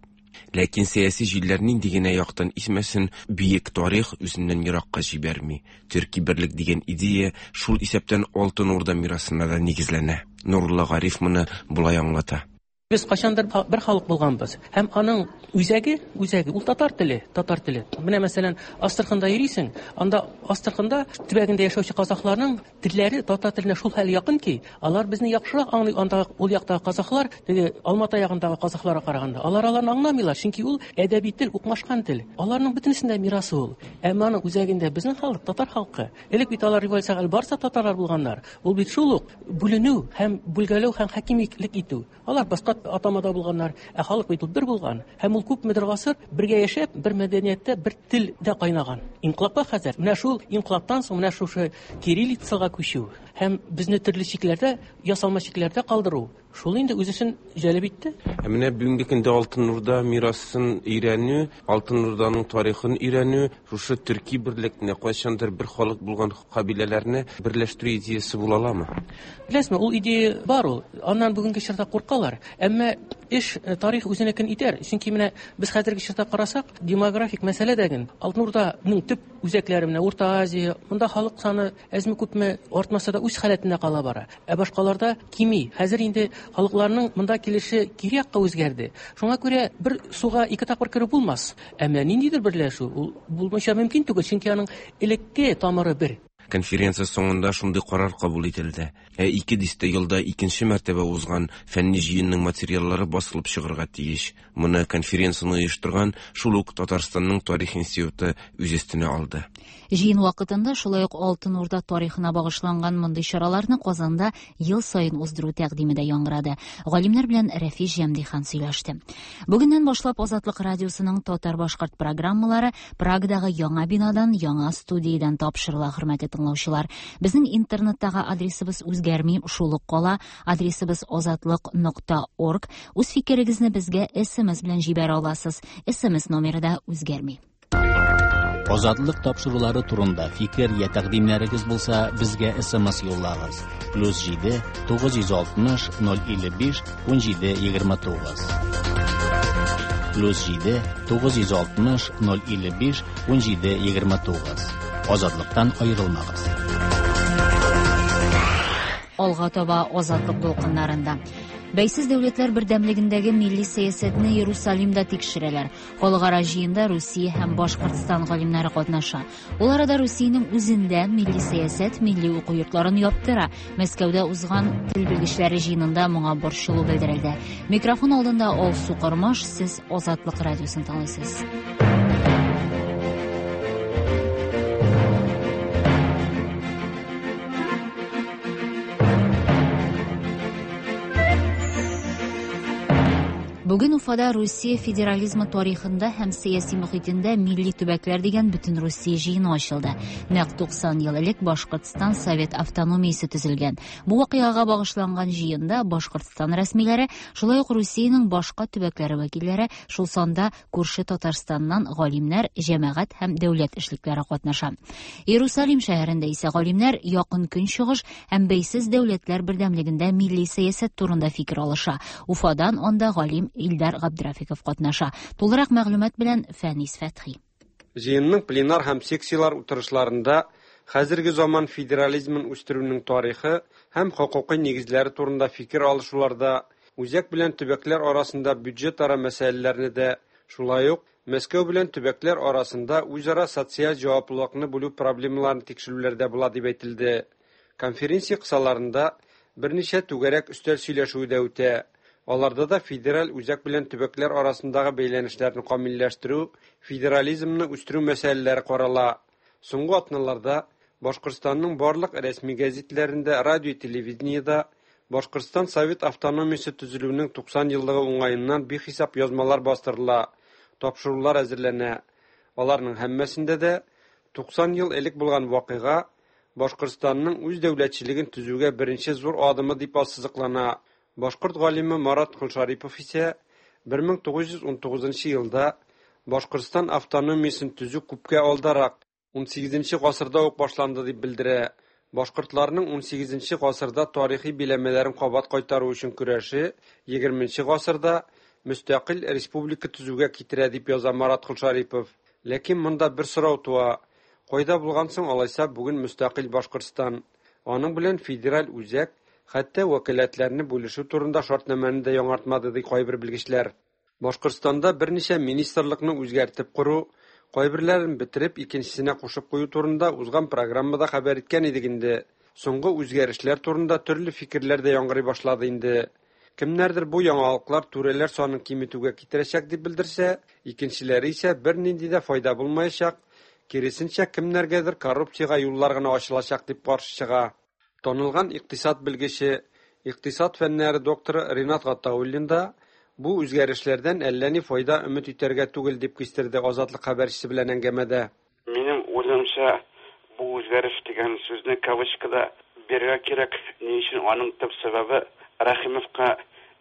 Ләкин сәяси җилләр нинди генә яктан исмәсен, бөек тарих үзеннән еракка җибәрми. Төрки берлек дигән идея шул исәптән Алтын Урда мирасына да нигезләнә. Нурулла Гариф моны болай аңлата. Без кайчандыр бер халык булганбыз. Һәм аның үзәге, үзәге ул татар теле, татар теле. Менә мәсәлән, Астраханда йөрисең, анда Астраханда төбәгендә яшәүче казахларның телләре татар теленә шул хәл якын ки, алар безне яхшырак аңлый. Анда ул яктагы казахлар, теге Алмата ягындагы казахларга караганда, алар аларны аңламыйлар, чөнки ул әдәби тел, укмашкан тел. Аларның бөтенесендә мирасы ул. Әмма аның үзәгендә безнең халык, татар халкы. Элек бит алар революциягә барса татарлар булганнар. Ул бит шул ук бүленү һәм бүлгәләү һәм хакимиялек итү. Алар башка атамада булганнар, ә халык бит ул бер булган. Һәм ул күпмедер гасыр бергә яшәп, бер мәдәнияттә, бер телдә кайнаган. Инкыйлабка хәзер менә шул инкыйлабтан соң менә шушы кириллицага күчү һәм безне төрле чикләрдә, ясалма чикләрдә калдыру, шул инде үзесен җәлеп итте. Ә менә бүгенге көндә Алтын Урда мирасын өйрәнү, Алтын Урданың тарихын өйрәнү, шушы төрки берлекне, кайчандыр бер халык булган кабиләләрне берләштерү идеясы була аламы? Беләсезме, ул идея бар ул. Аннан бүгенге чорда куркалар. Әмма эш тарих үзенекен итәр. Чөнки менә без хәзерге чорда карасак, демографик мәсьәлә дәген Алтын Урданың төп үзәкләре менә Урта Азия, монда халык саны әзме күпме артмаса да үз халәтендә кала бара. Ә башкаларда кими. Хәзер инде халыкларның монда килеше кире якка үзгәрде. Шуңа күрә бер суга ике тапкыр кереп булмас. Әмма ниндидер берләшү ул булмыйча мөмкин түгел, чөнки аның элекке тамыры бер. Конференция соңында шундый карар кабул ителде. Ә ике дистә елда икенче мәртәбә узган фәнни җыенның материаллары басылып чыгарга тиеш. Моны конференцияне оештырган шул ук Татарстанның тарих институты үз өстенә алды. Җыен вакытында шулай ук Алтын Урда тарихына багышланган мондый чараларны Казанда ел саен уздыру тәкъдиме дә яңгырады. Галимнәр белән Рәфис Җәмдихан сөйләште. Бүгеннән башлап Азатлык радиосының татар-башкорт программалары Прагадагы яңа бинадан, яңа студиядән тапшырыла, хөрмәтле тыңлаучылар. Безнең интернеттагы адресыбыз үзгәрми, шул ук кала. Адресыбыз азатлык нокта орг. Үз фикерегезне безгә эс эм эс белән җибәрә аласыз. эс эм эс номеры да үзгәрми. Азатлык тапшырулары турында фикер я тәкъдимнәрегез булса, безгә эс эм эс юллагыз. Плюс җиде тугыз йөз алтмыш ноль илле биш ун җиде егерме тугыз. Плюс җиде тугыз йөз алтмыш ноль илле биш ун җиде егерме тугыз. Азатлыктан аерылмагыз. Алга таба Азатлык дулкыннарында. Бәйсез дәүләтләр бердәмлегендәге милли сәясәтне Иерусалимда тикшерәләр. Халыкара җыенда Русия һәм Башкортстан галимнәре катнаша. Ул арада Русиянең үзендә милли сәясәт милли уку йортларын яптыра. Мәскәүдә узган тел белгечләре җыенында моңа борчылу белдерелде. Микрофон алдында Алсу Кормаш, сез Азатлык радиосын тыңлыйсыз. Бүген Уфада Русия федерализмы тарихында һәм сәяси мөхитендә милли төбәкләр дигән бөтен Русия җыены ачылды. Нәкъ туксан ел элек Башкортстан Совет автономиясе төзелгән. Бу вакыйгага багышланган җыенда Башкортстан рәсмиләре, шулай ук Русиянең башка төбәкләре вәкилләре, шул санда күрше Татарстаннан галимнәр, җәмәгать һәм дәүләт эшлекләре катнаша. Иерусалим шәһәрендә исә галимнәр Якын Көнчыгыш һәм бәйсез дәүләтләр бердәмлегендә милли сәясәт турында фикер алыша. Уфадан анда галим Илдар Габдрафиков катнаша. Тулырак мәгълүмат белән Фәнис Фәтхи. Җыенның пленар һәм секциялар утырышларында хәзерге заман федерализмын үстерүнең тарихы һәм хокукый нигезләре турында фикер алышуларда үзәк белән төбәкләр арасында бюджетара мәсьәләләрне дә, шулай ук Мәскәү белән төбәкләр арасында үзара социаль җаваплылыкны бүлү проблемаларын тикшерүләрдә була дип әйтелде. Конференция кысаларында берничә түгәрәк өстәл сөйләшүе дә үтә. Аларда да федераль үзәк белән төбәкләр арасындагы бәйләнешләрне камилләштерү, федерализмны үстерү мәсьәләләре карала. Соңгы атналарда Башкортстанның барлык рәсми гәзитләрендә, радио, телевидениедә Башкортстан Совет автономиясе төзелүенең туксан еллыгы уңаеннан бихисап язмалар бастырыла, тапшырулар әзерләнә. Аларның һәммәсендә дә туксан ел элек булган вакыйга Башкортстанның үз дәүләтчелеген төзүгә беренче зур адымы дип ассызыклана. Башкорт галиме Марат Колшарипов исә бер мең тугыз йөз унтугызынчы елда Башкортстан автономиясен төзү күпкә алдарак, унсигезенче гасырда ук башланды дип белдерә. Башкортларның унсигезенче гасырда тарихи биләмәләрен кабат кайтару өчен көрәше егерменче гасырда мөстәкыйль республика төзүгә китерә дип яза Марат Колшарипов. Ләкин монда бер сорау туа: кайда булган соң алайса бүген мөстәкыйль Башкортстан? Аның белән федераль үзәк хәтта вәкаләтләрне бүлешү турында шартнамәне дә яңартмады ди кайбер белгечләр. Башкортстанда берничә министрлыкны үзгәртеп кору, кайберләрен бетереп икенчесенә кушып кую турында узган программада хәбәр иткән идек инде. Соңгы үзгәрешләр турында төрле фикерләр дә яңгырый башлады инде. Кемнәрдер бу яңалыклар түрәләр санын киметүгә китерәчәк дип белдерсә, икенчеләре исә бернинди дә файда булмаячак, киресенчә кемнәргәдер коррупциягә юллар гына ачылачак дип каршы чыга. Танылган икътисад белгече, икътисад фәннәре докторы Ринат Гатауллин да бу үзгәрешләрдән әллә ни файда өмет итәргә түгел дип кистерде Азатлык хәбәрчесе белән әңгәмәдә. Минем уйлавымча, бу үзгәреш дигән сүзне кавычкада бирергә кирәк. Ни өчен? Аның төп сәбәбе Рәхимовка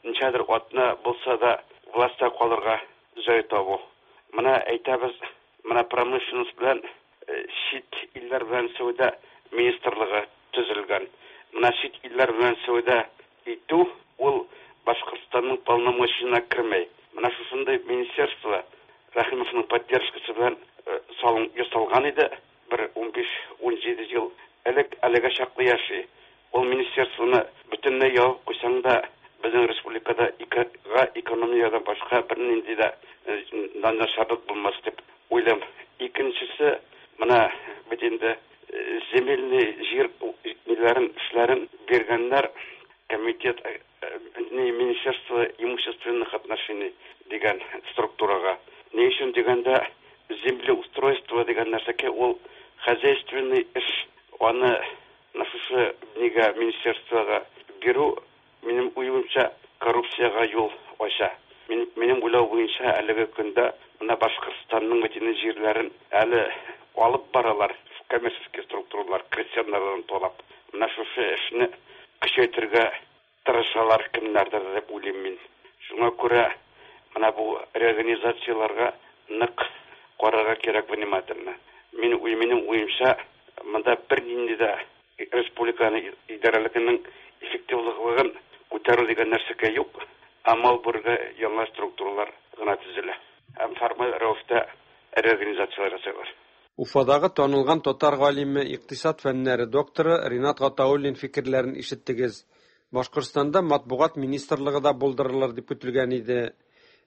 ничәдер атна булса да властьта калырга җай табу. Менә әйтәбез, менә промышленность белән чит илләр белән сәүдә министрлыгы төзелгән. Менә чит илләр белән сәүдә итү ул Башкортстанның полномочиясенә кермәй. Менә шушындай министерство Рәхимовның поддержкасы белән салын ясалган иде бер унбиш-унҗиде ел элек, әлегә чаклы яши. Ул министерствоны бөтенләй ябып куйсаң да, безнең республикада экономиядән башка бернинди дә начарлык булмас дип уйлыйм. Икенчесе, менә бит инде земельный җир ниләрен, эшләрен биргәннәр комитет, Министерство имущественных отношений дигән структурага. Ни өчен дигәндә, землеустройство дигән нәрсәгә ул хозяйственный эш, аны шушы нигә министерствога бирү, минем уемча, коррупциягә юл ача. Минем уйлау буенча, әлеге көндә менә Башкортстанның бөтен җирләрен әле алып баралар коммерческий структуралар, крестьяннардан талап. Менә шушы эшне көчәйтергә тырышалар кемнәрдер дип уйлыйм мин. Шуңа күрә менә бу реорганизацияләргә нык карарга кирәк внимательно. Мин минем уемча, монда бернинди дә республиканы идарәлегенең эффективлыгын күтәрү дигән нәрсәгә юк. Амал бурга яңа структуралар гына төзелә. Һәм формаль рәвештә реорганизацияләр ясыйлар. Уфадагы танылган татар галиме, икътисад фәннәре докторы Ринат Гатауллин фикерләрен ишеттегез. Башкортстанда матбугат министрлыгы да булдырылыр дип көтелгән иде.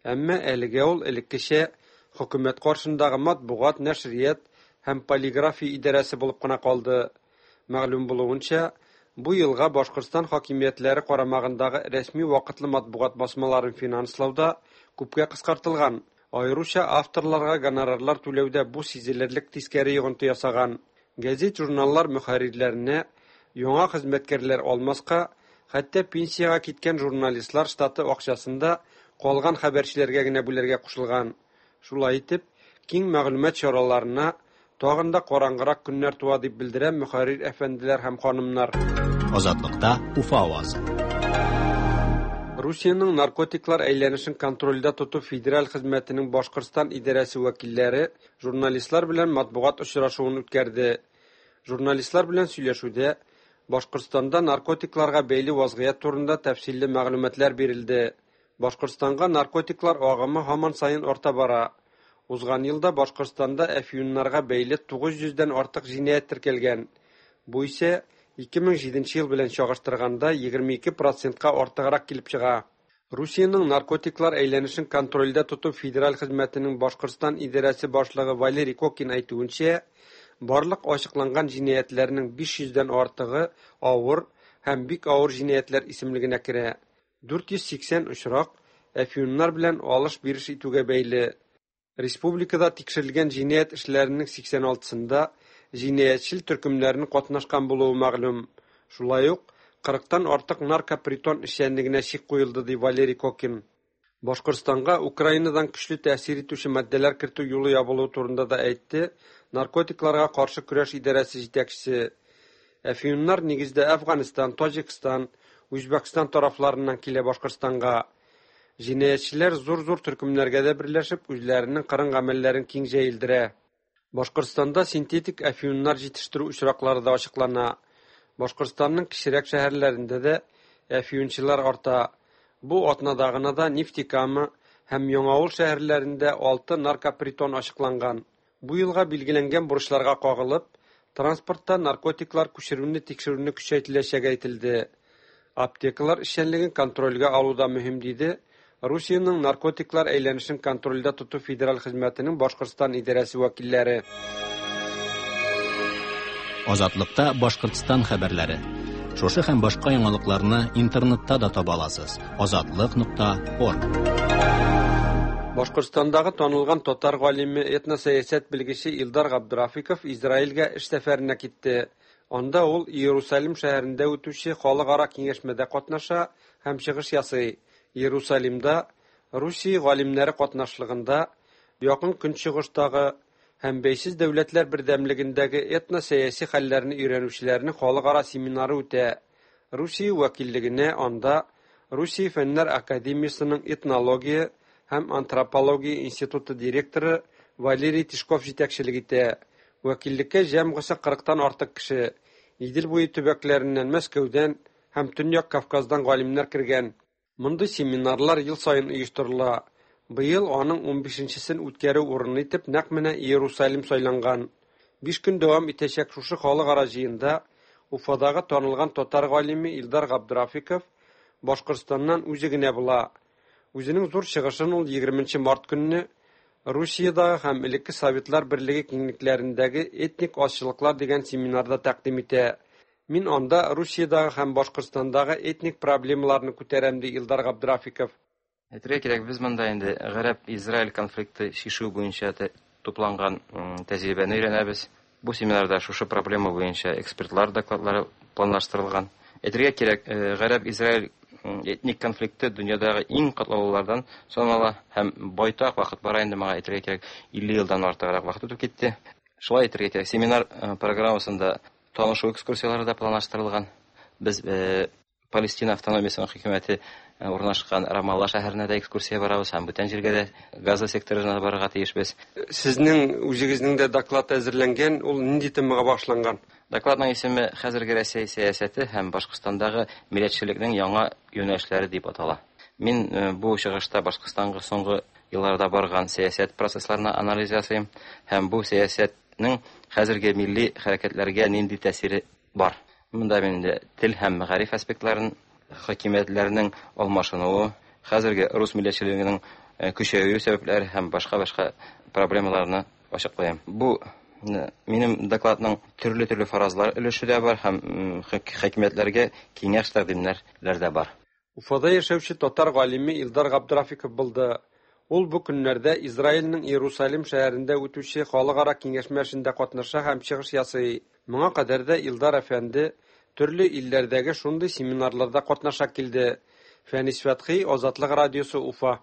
Әмма әлегә ул элеккечә хөкүмәт каршындагы матбугат, нәшрият һәм полиграфия идарәсе булып кына калды. Мәгълүм булуынча, бу елга Башкортстан хакимиятләре карамагындагы рәсми вакытлы матбугат басмаларын финанслауда күпкә кыскартылган. Аеруча авторларга гонорарлар түләүдә бу сизелерлек тискәре йогынты ясаган. Гәзит-журналлар мөхәррирләренә яңа хезмәткәрләр алмаска, хәтта пенсиягә киткән журналистлар штаты акчасын да калган хәбәрчеләргә генә бүләргә кушылган. Шулай итеп, киң мәгълүмат чараларына тагын да караңгырак көннәр туа дип белдерә мөхәррир әфәнделәр һәм ханымнар. Азатлыкта Уфа авазы. Русиянең наркотиклар әйләнешен контрольдә тоту федераль хезмәтенең Башкортстан идарәсе вәкилләре журналистлар белән матбугат очрашуын үткәрде. Журналистлар белән сөйләшүдә Башкортстанда наркотикларга бәйле вазгыять турында тәфсилле мәгълүматлар бирелде. Башкортстанга наркотиклар агымы һаман саен арта бара. Узган елда Башкортстанда әфьюннарга бәйле тугыз йөздән артык җинаять теркәлгән. Бу исә ике мең җиденче ел белән чагыштырганда егерме ике процентка артыграк килеп чыга. Русиянең наркотиклар әйләнешен контрольдә тоту федераль хезмәтенең Башкортстан идарәсе башлыгы Валерий Кокин әйтүенчә, барлык ачыкланган җинаятьләрнең биш йөздән артыгы авыр һәм бик авыр җинаятьләр исемлегенә керә. дүрт йөз сиксән очрак әфьюннар белән алыш-биреш итүгә бәйле. Республикада тикшерелгән җинаять эшләренең сиксән алтысында җинаятьчел төркемнәренең катнашкан булуы мәгълүм. Шулай ук кырыктан артык наркопритон эшчәнлегенә чик куелды, ди Валерий Кокин. Башкортстанга Украинадан көчле тәэсир итүче матдәләр кертү юлы ябылуы турында да әйтте наркотикларга каршы көрәш идарәсе җитәкчесе. Әфьюннар нигездә Әфганстан, Таҗикстан, Үзбәкстан тарафларыннан килә Башкортстанга. Җинаятьчеләр зур-зур төркемнәргә дә берләшеп, үзләренең кырын гамәлләрен киң җәелдерә. Башкортстанда синтетик әфьюннар җитештерү очраклары да ачыклана. Башкортстанның кечерәк шәһәрләрендә дә әфьюнчылар арта. Бу атнада гына да Нефтекама һәм Яңавыл шәһәрләрендә алты наркопритон ачыкланган. Бу елга билгеләнгән бурычларга кагылып, транспортта наркотиклар күчерүне тикшерүне көчәйтеләчәге әйтелде. Аптекалар эшчәнлеген контрольгә алу да мөһим, диде Русиянең наркотиклар әйләнешен контрольдә тоту федераль хезмәтенең Башкортстан идарәсе вәкилләре. Азатлыкта Башкортстан хәбәрләре. Шушы һәм башка яңалыкларны интернетта да таба аласыз. Азатлык нокта орг. Башкортстандагы танылган татар галиме, этносәясәт белгече Илдар Габдрафиков Израильгә эш сәфәренә китте. Анда ул Иерусалим шәһәрендә үтүче халыкара киңәшмәдә катнаша һәм чыгыш ясый. Иерусалимда Русия галимнәре катнашлыгында Якын Көнчыгыштагы һәм бәйсез дәүләтләр бердәмлегендәге этносәяси хәлләрне өйрәнүчеләрнең халыкара семинары үтә. Русия вәкиллегенә анда Русия Фәннәр академиясенең этнология һәм антропология институты директоры Валерий Тишков җитәкчелек итә. Вәкиллеккә җәмгысе кырыктан артык кеше, Идел буе төбәкләреннән, Мәскәүдән һәм Төньяк Кавказдан галимнәр кергән. Мондый семинарлар ел саен оештырыла. Быел аның унбишенчесен үткәрү урыны итеп нәкъ менә Иерусалим сайланган. Биш көн дәвам итәчәк шушы халыкара җыенда Уфадагы танылган татар галиме Илдар Габдрафиков Башкортстаннан үзе генә була. Үзенең зур чыгышын ул егерменче март көнне Русиядагы һәм элекке Советлар Берлеге киңлекләрендәге этник азчылыклар дигән семинарда тәкъдим итә. Мин анда Русиядагы һәм Башкортстандагы этник проблемаларны күтәрәм, ди Илдар Габдрафиков. Әйтергә кирәк, без монда инде Гарәп-Израиль конфликты чишү буенча тупланган тәҗрибәне өйрәнәбез. Бу семинарда шушы проблема буенча экспертлар докладлары планлаштырылган. Әйтергә кирәк, Гарәп-Израиль этник конфликты дөньядагы иң катлаулылардан санала һәм байтак вакыт бара инде, моңа әйтергә кирәк, илле елдан артыграк вакыт үтеп китте. Шулай әйтергә кирәк, семинар программасында танышу экскурсиялары да планлаштырылган. Без Палестина автономиясенең хөкүмәте урнашкан Рамалла шәһәренә дә экскурсия барабыз һәм бүтән җиргә дә, Газа секторына барырга тиешбез. Сезнең үзегезнең дә доклад әзерләнгән, ул нинди темага багышланган? Докладның исеме Хәзерге Рәсәй сәясәте һәм Башкортстандагы милләтчелекнең яңа юнәлешләре дип атала. Мин бу чыгышта Башкортстанга соңгы елларда барган сәясәт процессларына анализ ясыйм һәм бу сәясәтнең хәзерге милли хәрәкәтләргә нинди тәэсире бар. Монда мин инде тел һәм мәгариф аспектларын, хакимиятләрнең алмашынуы, хәзерге рус милләтчелегенең көчәюе сәбәпләре һәм башка-башка проблемаларны ачыклыйм. Бу минем докладның төрле-төрле фаразлар өлеше дә бар һәм хакимиятләргә киңәш тәкъдимнәр дә бар. Уфада яшәүче татар галиме Илдар Габдрафиков булды. Ул бу көннәрдә Израильнең Иерусалим шәһәрендә үтүче халыкара киңәшмә эшендә катнаша һәм чыгыш ясый. Моңа кадәр дә Илдар әфәнде төрле илләрдәге шундый семинарларда катнаша килде. Фәнис Фәтхи, Азатлык радиосы, Уфа.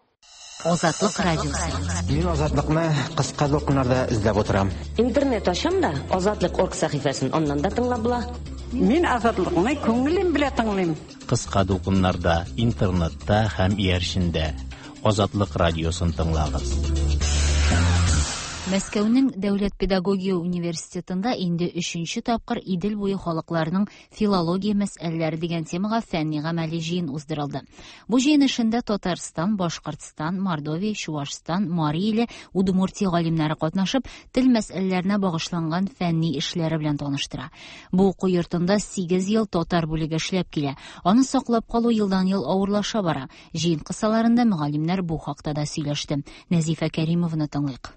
Азатлык радиосы. Мин Азатлыкны кыска дулкыннарда эзләп утырам. Интернет ачам да Азатлык орг сәхифәсен аннан да тыңлап була. Мин Азатлыкны күңелем белән тыңлыйм. Кыска дулкыннарда, интернетта һәм иярчендә Азатлык радиосын тыңлагыз. Мәскәүнең Дәүләт педагогия университетында инде өченче тапкыр Идел буе халыкларының филология мәсьәләләре дигән темага фәнни гамәли җыен уздырылды. Бу җыен эшендә Татарстан, Башкортстан, Мордовия, Чувашстан, Мари иле, Удмуртия галимнәре катнашып, тел мәсьәләләренә багышланган фәнни эшләре белән таныштыра. Бу уку йортында сигез ел татар бүлеге эшләп килә. Аны саклап калу елдан-ел авырлаша бара. Җыен кысаларында мөгаллимнәр бу хакта да сөйләште. Нәзифә Кәримованы тыңлыйк.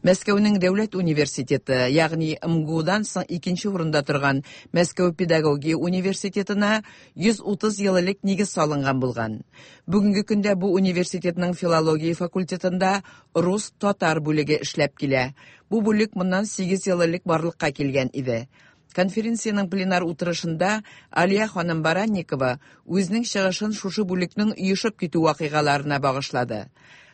Мәскәүнең дәүләт университеты, ягъни МГУдан соң икенче урында торган Мәскәү педагогия университетына йөз утыз ел элек нигез салынган булган. Бүгенге көндә бу университетның филология факультетында рус-татар бүлеге эшләп килә. Бу бүлек моннан сигез ел элек барлыкка килгән иде. Конференциянең пленар утырышында Алия ханым Баранникова үзенең чыгышын шушы бүлекнең оешып китү вакыйгаларына багышлады.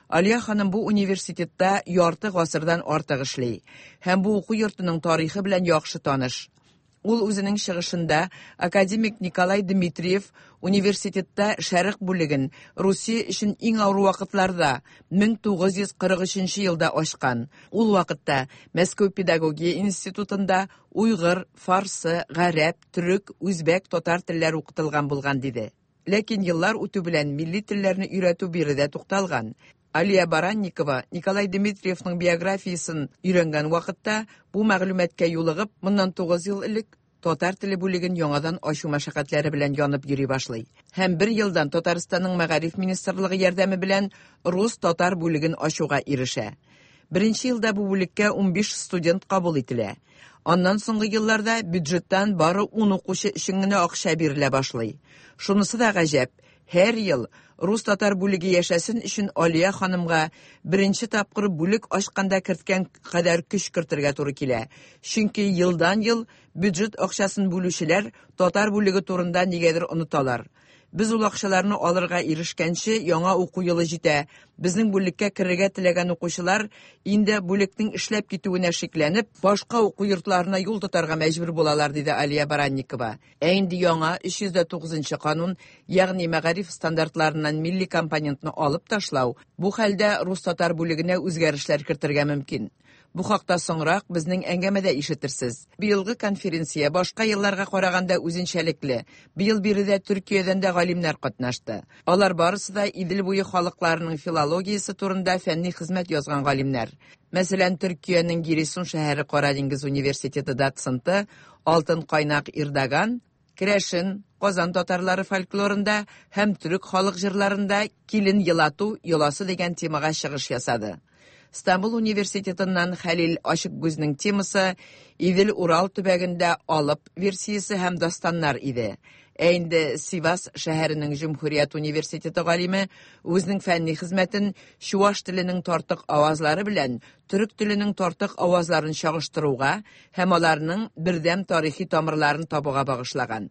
Алия ханым бу университетта ярты гасырдан артык эшли һәм бу уку йортының тарихы белән яхшы таныш. Ул үзенең чыгышында академик Николай Дмитриев университетта шәрык бүлеген Русия өчен иң авыр вакытларда мең тугыз йөз кырык өченче елда ачкан. Ул вакытта Мәскәү педагогия институтында уйгыр, фарсы, гарәп, төрек, үзбәк, татар телләре укытылган булган диде. Ләкин еллар үтү белән милли телләрне өйрәтү биредә тукталган. Алия Баранникова Николай Дмитриевның биографиясын өйрәнгән вакытта бу мәгълүматка юлыгып, моннан тугыз ел элек татар теле бүлеген яңадан ачу мәшәкатьләре белән янып йөри башлый. Һәм бер елдан Татарстанның мәгариф министрлыгы ярдәме белән рус-татар бүлеген ачуга ирешә. Беренче елда бу бүлеккә унбиш студент кабул ителә. Аннан соңгы елларда бюджеттан бары ун укучы өчен генә акча бирелә башлый. Шунысы да гаҗәп, һәр ел рус-татар бүлеге яшәсен өчен Алия ханымга беренче тапкыр бүлек ачканда керткән кадәр көч кертергә туры килә. Чөнки елдан-ел бюджет акчасын бүлүчеләр татар бүлеге турында нигәдер оныталар. Без ул акчаларны алырга ирешкәнче яңа уку елы җитә. Безнең бүлеккә керергә теләгән укучылар инде бүлекнең эшләп китүенә шикләнеп, башка уку йортларына юл тотарга мәҗбүр булалар, диде Алия Баранникова. Ә инде яңа өч йөз дә тугызынчы канун, ягъни мәгариф стандартларыннан милли компонентны алып ташлау, бу хәлдә рус-татар бүлегенә үзгәрешләр кертергә мөмкин. Бу хакта соңрак безнең әңгәмәдә ишетерсез. Быелгы конференция башка елларга караганда үзенчәлекле. Быел биредә Төркиядән дә галимнәр катнашты. Алар барысы да Идел буе халыкларының филологиясе турында фәнни хезмәт язган галимнәр. Мәсәлән, Төркиянең Гиресун шәһәре Кара диңгез университеты доценты Алтын Кайнак Ирдаган керәшен, Казан татарлары фольклорында һәм төрек халык җырларында килен елату йоласы дигән темага чыгыш ясады. Стамбул университетыннан Хәлил Ашыкгүзнең темасы Идел-Урал төбәгендә алып версиясе һәм дастаннар иде. Ә инде Сивас шәһәренең Җөмһүрият университеты галиме үзенең фәнни хезмәтен чуаш теленең тартык авазлары белән төрек теленең тартык авазларын чагыштыруга һәм аларның бердәм тарихи тамырларын табуга багышлаган.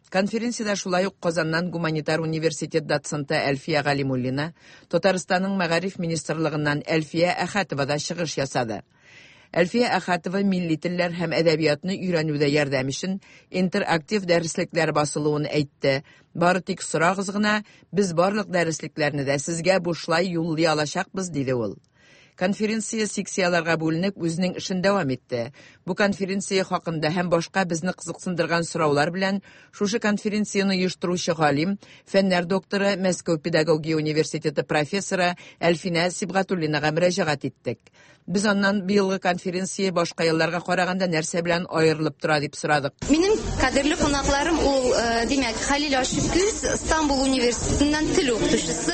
Конференциядә шулай ук Казаннан гуманитар университет доценты Әлфия Галимуллина, Татарстанның мәгариф министрлыгыннан Әлфия Әхәтова да чыгыш ясады. Әлфия Әхәтова милли телләр һәм әдәбиятны өйрәнүдә ярдәм өчен интерактив дәреслекләр басылуын әйтте. Бары тик сорагыз гына, без барлык дәреслекләрне дә сезгә бушлай юллый алачакбыз, диде ул. Конференция секцияларга бүленеп үзенең эшен дәвам итте. Бу конференция хакында һәм башка безне кызыксындырган сораулар белән шушы конференцияне оештыручы галим, фәннәр докторы, Мәскәү педагогия университеты профессоры Әлфинә Сибгатуллинага мөрәҗәгать иттек. Без аннан быелгы конференция башка елларга караганда нәрсә белән аерылып тора дип сорадык. Минем кадерле кунакларым ул, димәк, Хәлил Ашыкгүз, Стамбул университетыннан тел укытучысы,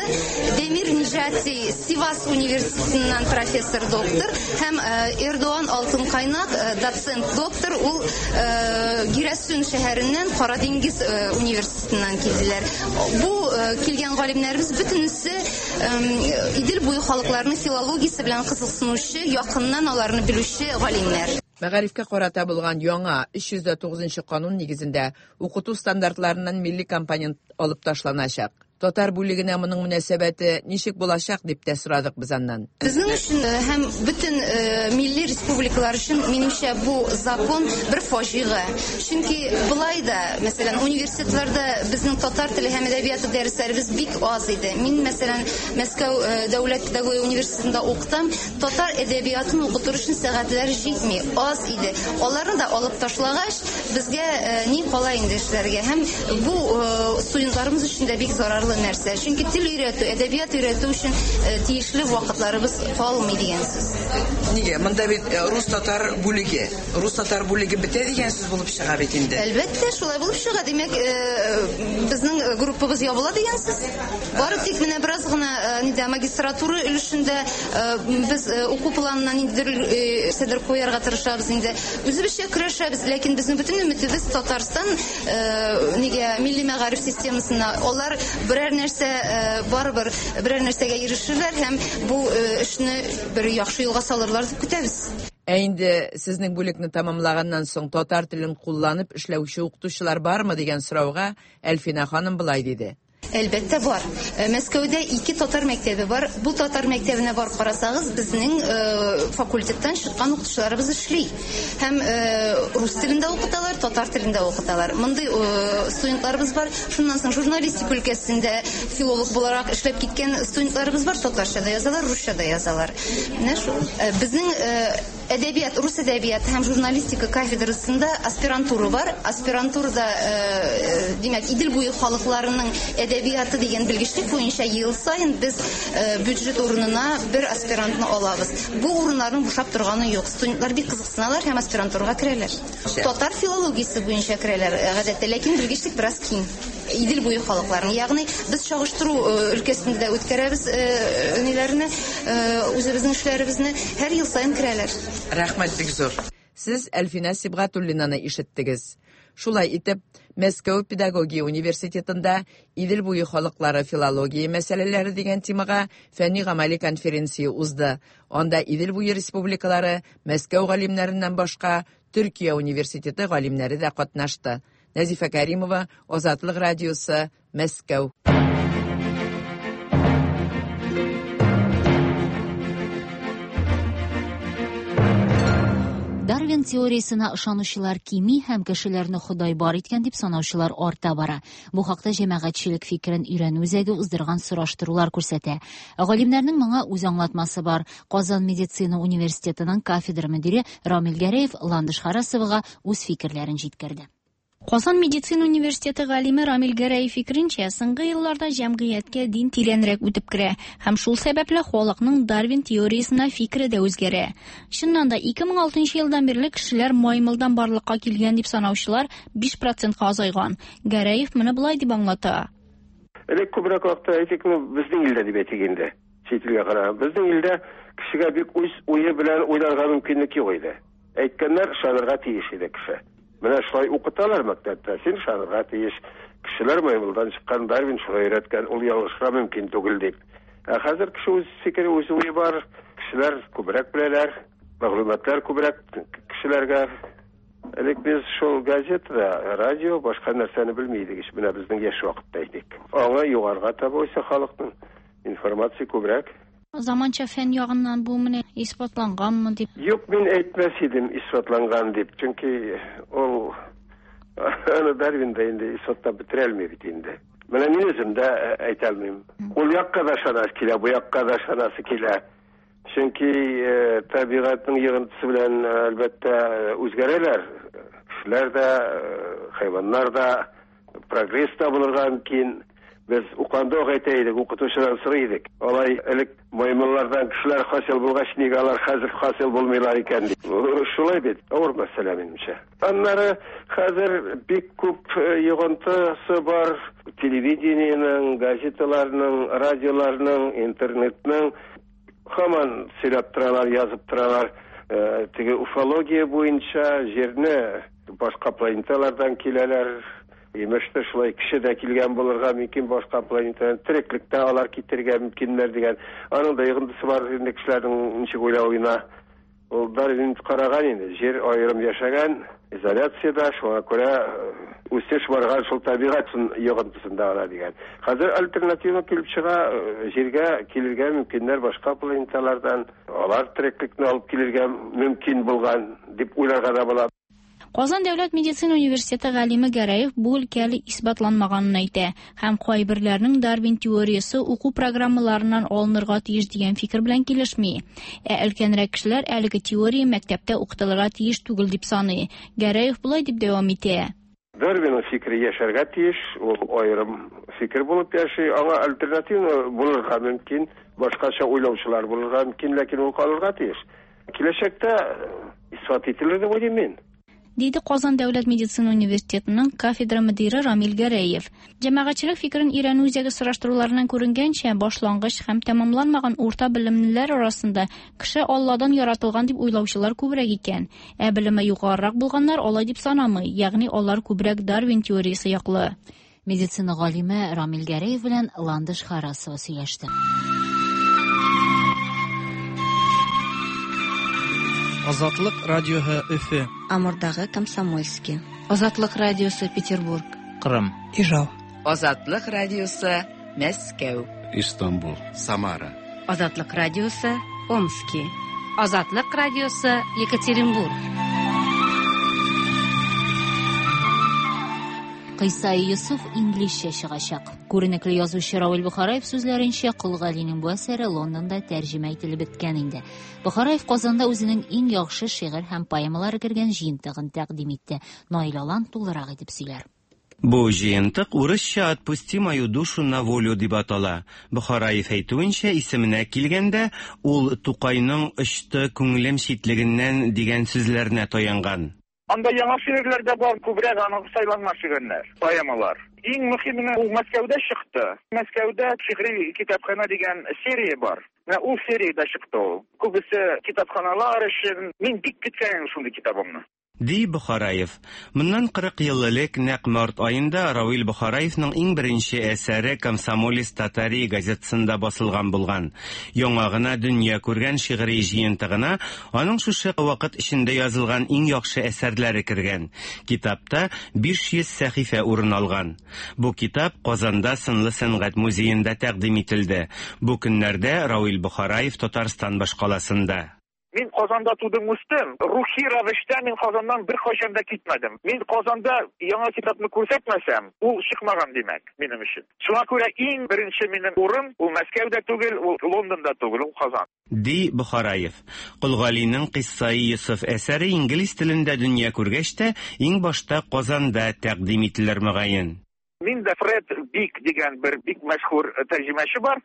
Демир Нижати, Сивас университетыннан профессор доктор һәм Эрдоган Алтынкайнак доцент доктор, ул Гирәсүн шәһәреннән Кара диңгез университетыннан килделәр. Бу килгән галимнәребез бөтенесе Идел буе халыкларының филологиясе белән кызыксынучы, якыннан аларны белүче галимнәр. Мәгарифкә карата булган яңа өч йөз дә тугызынчы канун нигезендә укыту стандартларыннан милли компонент алып ташланачак. Татар бүлегенә моның мөнәсәбәте ничек булачак дип тә сорадык без аннан. Безнең өчен һәм бөтен милли республикалар өчен минемчә бу закон бер фаҗига. Чөнки былай да, мәсәлән, университетларда безнең татар теле һәм әдәбияты дәресләребез бик аз иде. Мин, мәсәлән, Мәскәү дәүләт педагогия университетында укытам, татар әдәбиятын укытыр өчен сәгатьләр җитми, аз иде. Аларны да алып ташлагач, безгә ни кала инде эшләргә? Һәм бу студентларыбыз өчен дә бик зарарлы нәрсә. Чөнки тел өйрәтү, әдәбият өйрәтү өчен тиешле вакытларыбыз калмый дигән сүз. Нигә? Монда бит рус-татар бүлеге. Рус-татар бүлеге бетә дигән сүз булып чыга бит инде. Әлбәттә, шулай булып чыга. Димәк, безнең группабыз ябыла дигән сүз. Бары тик менә бераз гына нидә магистратура өлешендә без уку планына ниндидер нәрсәләр куярга тырышабыз инде. Үзебезчә көрәшәбез, ләкин безнең бөтен өметебез Татарстан нигә милли мәгариф системасына. Алар берәр нәрсә барыбер берәр нәрсәгә ирешерләр һәм бу эшне бер яхшы юлга салырлар дип көтәбез. Ә инде сезнең бүлекне тәмамлаганнан соң татар телен кулланып эшләүче укытучылар бармы дигән сорауга Әлфинә ханым болай диде. Әлбәттә бар. Мәскәүдә ике татар мәктәбе бар. Бу татар мәктәбенә барып карасагыз, безнең факультеттан чыккан укытучыларыбыз эшли. Һәм рус телендә укыталар, татар телендә укыталар. Мондый студентларыбыз бар. Шуннан соң журналистика өлкәсендә филолог буларак эшләп киткән студентларыбыз бар. Татарча да язалар, русча да язалар. Менә шул. Безнең әдәбият, рус әдәбияты һәм журналистика кафедрасында аспирантура бар. Аспирантурада, димәк, Идел буе халыкларының әдәбияты дигән белгечлек буенча ел саен без бюджет урынына бер аспирантны алабыз. Бу урыннарның бушап торганы юк. Студентлар бик кызыксыналар һәм аспирантурага керәләр. Татар филологиясе буенча керәләр гадәттә, ләкин белгечлек бераз киң. Идел буе халыкларының, ягъни без чагыштыру өлкәсендә дә үткәрәбез ниләрне, үзебезнең эшләребезне һәр ел саен керәләр. Рәхмәт бик зур. Сез Әлфинә Сибгатуллинаны ишеттегез. Шулай итеп, Мәскәү педагогия университетында Идел буе халыклары филология мәсьәләләре дигән темага фәнни-гамәли конференция узды. Анда Идел буе республикалары, Мәскәү галимнәреннән башка Төркия университеты галимнәре дә катнашты. Нәзифә Кәримова, Азатлык радиосы, Мәскәү. Дарвин теориясына ышанучылар кими һәм кешеләрне Ходай бар иткән дип санаучылар арта бара. Бу хакта җәмәгатьчелек фикерен өйрәнү үзәге уздырган сораштырулар күрсәтә. Галимнәрнең моңа үз аңлатмасы бар. Казан медицина университетының кафедра мөдире Рамил Гәрәев Ландыш Харасовага үз фикерләрен җиткерде. Казан медицина университеты галиме Рамил Гәрәев фикеренчә, соңгы елларда җәмгыятькә дин тирәнрәк үтеп керә һәм шул сәбәпле халыкның Дарвин теориясенә фикере дә үзгәрә. Чыннан да ике мең алтынчы елдан бирле кешеләр маймылдан барлыкка килгән дип санаучылар биш процентка азайган. Гәрәев моны болай дип аңлата. Элек күбрәк вакытта әйтик, безнең илдә дип әйтик инде. Чит илгә караганда безнең илдә кешегә бик үз уе белән уйларга мөмкинлек юк иде. Әйткәннәр ышанырга тиеш иде кеше. Менә шулай укыталар мәктәптә, син ышанырга тиеш. Кешеләр маймылдан чыккан, Дарвин шулай өйрәткән, ул ялгышырга мөмкин түгел дип. Ә хәзер кеше үз фикере, үз уе бар, кешеләр күбрәк беләләр, мәгълүматлар күбрәк кешеләргә. Элек без шул газетада, радио, башка нәрсәне белми идек, менә безнең яшь вакытта идек. Аңа югарыга таба үсә халыкның информация күбрәк. Заманча фән ягыннан бу менә исбатланганмы дип? Юк, мин әйтмәс идем исбатланган дип, чөнки ул аны Дарвин да инде исбатлап бетерә алмый бит инде. Менә мин үзем дә әйтә алмыйм. Ул якка да ышанасы килә, бу якка да ышанасы килә. Чөнки табигатьнең йогынтысы белән әлбәттә үзгәрәләр. Кешеләр дә, хайваннар да прогресс та булырга мөмкин. Без уканда ук әйтә идек, укытучыдан сорый идек. Алай элек маймыллардан кешеләр хасил булгач, нигә алар хәзер хасил булмыйлар икән дип. Шулай бит, авыр мәсьәлә минемчә. Аннары хәзер бик күп йогынтысы бар телевидениенең, газеталарның, радиоларның, интернетның. Һаман сөйләп торалар, язып торалар. Теге уфология буенча җирне башка планеталардан киләләр. Имештер шулай кеше дә килгән булырга мөмкин, башка планетадан тереклектә алар китерергә мөмкиннәр дигән. Аның да йогынтысы бар инде кешеләрнең ничек уйлавына. Ул Дарвин караган инде, җир аерым яшәгән, изоляциядә, шуңа күрә үсеш барган шул табигать йогынтысында гына дигән. Хәзер альтернатива килеп чыга, җиргә килергә мөмкиннәр башка планеталардан, алар тереклекне алып килергә мөмкин булган дип уйларга да була. Казан дәүләт медицина университеты галиме Гәрәев бу өлкә әле исбатланмаганын әйтә һәм кайберләрнең Дарвин теориясе уку программаларыннан алынырга тиеш дигән фикер белән килешми. Ә өлкәнрәк кешеләр әлеге теория мәктәптә укытылырга тиеш түгел дип саный. Гәрәев болай дип дәвам итә. Дарвинның фикере яшәргә тиеш, ул аерым фикер булып яши, аңа альтернатива булырга мөмкин, башкача уйлаучылар булырга мөмкин, ләкин ул калырга тиеш. Киләчәктә исбат ителер дип уйлыйм мин. Диде Казан дәүләт медицина университетының кафедра мөдире Рамил Гәрәев. Җәмәгатьчелек фикерен өйрәнү үзәге сораштыруларыннан күренгәнчә, башлангыч һәм тәмамланмаган урта белемлеләр арасында кеше Алладан яратылган дип уйлаучылар күбрәк икән. Ә белеме югарырак булганнар алай дип санамый, ягъни алар күбрәк Дарвин теориясе яклы. Медицина галиме Рамил Гәрәев белән Ландыш Харасова сөйләште. Азатлык радиоһы Өфе. Амурдагы Комсомольский. Азатлык радиосы Петербург. Кырым. Ижау. Азатлык радиосы Мәскәү. Истанбул. Самара. Азатлык радиосы Омски. Азатлык радиосы Екатеринбург. Кыйсаи Йосыф инглизчә чыгачак. Күренекле язучы Равил Бохараев сүзләренчә, Кол Галинең бу әсәре Лондонда тәрҗемә ителеп беткән инде. Бохараев Казанда үзенең иң яхшы шигырь һәм поэмалары кергән җыентыгын тәкъдим итте. Наил Алан тулырак итеп сөйләр. Бу җыентык урысча «Отпусти мою душу на волю» дип атала. Бохараев әйтүенчә, исеменә килгәндә, ул Тукайның «Очты күңелем читлегеннән» дигән сүзләренә таянган. Анда яңа шигырьләр дә бар, күбрәк аның сайланма шигырьләр, поэмалар. Иң мөһиме ул Мәскәүдә чыкты. Мәскәүдә шигъри китапхана дигән серия бар. Менә ул сериядә чыкты ул. Күбесе китапханалар өчен. Мин бик көткән шундый китабымны. Ди Бохараев. Моннан кырык ел элек нәкъ март аенда Равил Бохараевның иң беренче әсәре «Комсомолец Татарии» газетасында басылган булган. Яңа гына дөнья күргән шигъри җыентыгына аның шушы вакыт эчендә язылган иң яхшы әсәрләре кергән. Китапта биш йөз сәхифә урын алган. Бу китап Казанда Сынлы сәнгать музеенда тәкъдим ителде. Бу көннәрдә Равил Бохараев Татарстан башкаласында. Мин Казанда тудым, үстем. Рухи рәвештә мин Казаннан бер кайчан да китмәдем. Мин Казанда яңа китапны күрсәтмәсәм, ул чыкмаган димәк минем өчен. Шуңа күрә иң беренче минем урын ул Мәскәүдә түгел, ул Лондонда түгел, ул Казан. Ди Бохараев. Кол Галинең Кыйссаи Йосыф әсәре инглиз телендә дөнья күргәч тә, иң башта Казанда тәкъдим ителер мөгаен. Мин дә Фред Бик дигән бер бик мәшһүр тәрҗемәче бар.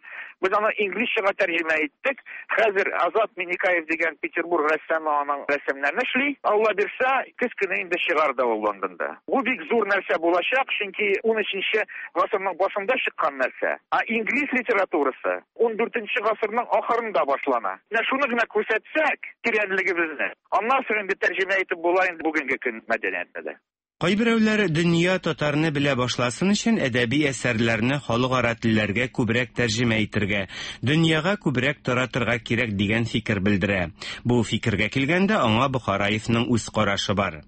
Без аны инглизчәгә тәрҗемә иттек. Хәзер Азат Миникаев дигән Петербург рәссамы аның рәсемнәрен эшли. Алла бирсә, көз көне инде чыгар да ул Лондонда. Бу бик зур нәрсә булачак, чөнки ун өченче гасырның башында чыккан нәрсә. Ә инглиз литературасы ун дүртенче гасырның ахырында башлана. Менә шуны гына күрсәтсәк, тирәнлегебезне, аннан соң инде тәрҗемә итеп була инде бүгенге көн мәдәниятендә. Кайберәүләр дөнья татарны белә башласын өчен әдәби әсәрләрне халыкара телләргә күбрәк тәрҗемә итергә, дөньяга күбрәк таратырга кирәк дигән фикер белдерә. Бу фикергә килгәндә аңа Бохараевның үз карашы бар.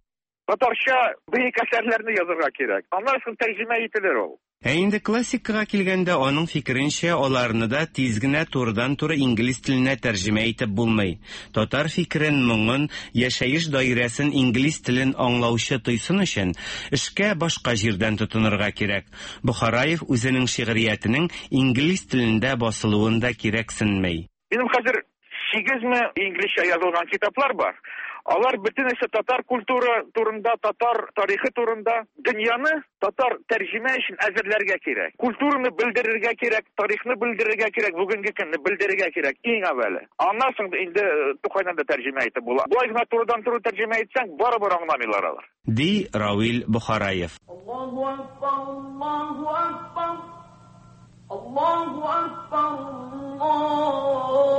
Татарча бөек әсәрләрне язырга кирәк. Аннан соң тәрҗемә ителер ул. Ә инде классикага килгәндә, аның фикеренчә, аларны да тиз генә турыдан-туры инглиз теленә тәрҗемә итеп булмый. Татар фикерен, моңын, яшәеш даирәсен инглиз телен аңлаучы тойсын өчен эшкә башка җирдән тотынырга кирәк. Бохараев үзенең шигъриятенең инглиз телендә басылуын да кирәксенмәй. Минем хәзер сигезме инглизчә язылган китаплар бар. Алар бөтенесе татар культура турында, татар тарихы турында. Дөньяны татар тәрҗемә өчен әзерләргә кирәк. Культураны белдерергә кирәк, тарихны белдерергә кирәк, бүгенге көнне белдерергә кирәк иң әүвәле. Аннан соң инде Тукайдан да тәрҗемә итеп була. Болай гына турыдан-туры тәрҗемә итсәң, барыбер аңламыйлар алар. Ди Равил Бохараев. Аллаһу акбар, Аллаһу акбар. Аллаһу акбар, Аллаһу акбар.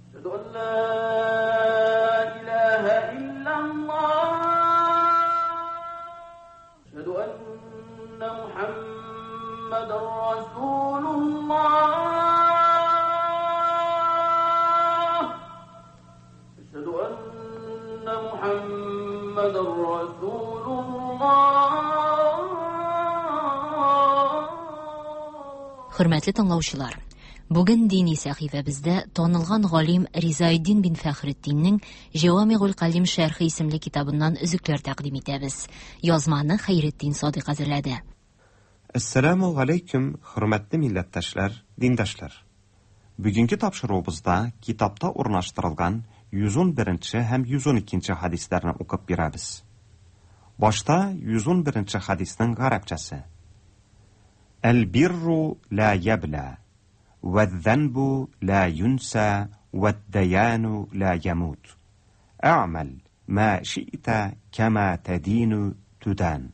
Әшһәду ан ла илаһа иллаллаһ. Әшһәду анна Мухаммадан расулуллаһ. Әшһәду анна Мухаммадан расулуллаһ. Хөрмәтле тыңлаучылар, бүген дини сәхифәбездә танылган галим Ризаэддин бин Фәхретдиннең Җавамигул Калим шәрхе исемле китабыннан өзекләр тәкъдим итәбез. Язманы Хәйретдин Садыйк әзерләде. Әссәламу алейкум, хөрмәтле милләттәшләр, диндашлар. Бүгенге тапшыруыбызда китапта урнаштырылган йөз ун беренче һәм йөз ун икенче хадисләрне укып бирәбез. Башта йөз ун беренче хадисның гарәпчәсе. Әл-бирру ла ябла, وَالذَّنْبُ لَا يُنْسَى وَالدَّيَانُ لَا يَمُوتُ أَعْمَلْ مَا شِئْتَ كَمَا تَدِينُ تُدَانُ.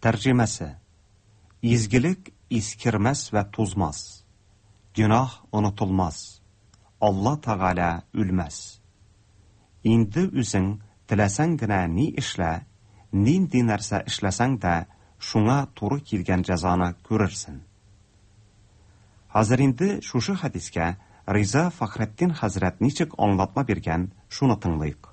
Тәрҗемәсе: Изгелек искермәс вә тузмас, гөнаһ онытылмас, Алла Тәгалә үлмәс. Инде үзең теләсәң генә ни эшлә, нинди нәрсә эшләсәң дә, шуңа туры килгән җәзаны күрерсең. Хәзер инде шушы хәдискә Риза Фәхретдин хәзрәт ничек аңлатма биргән, шуны тыңлыйк.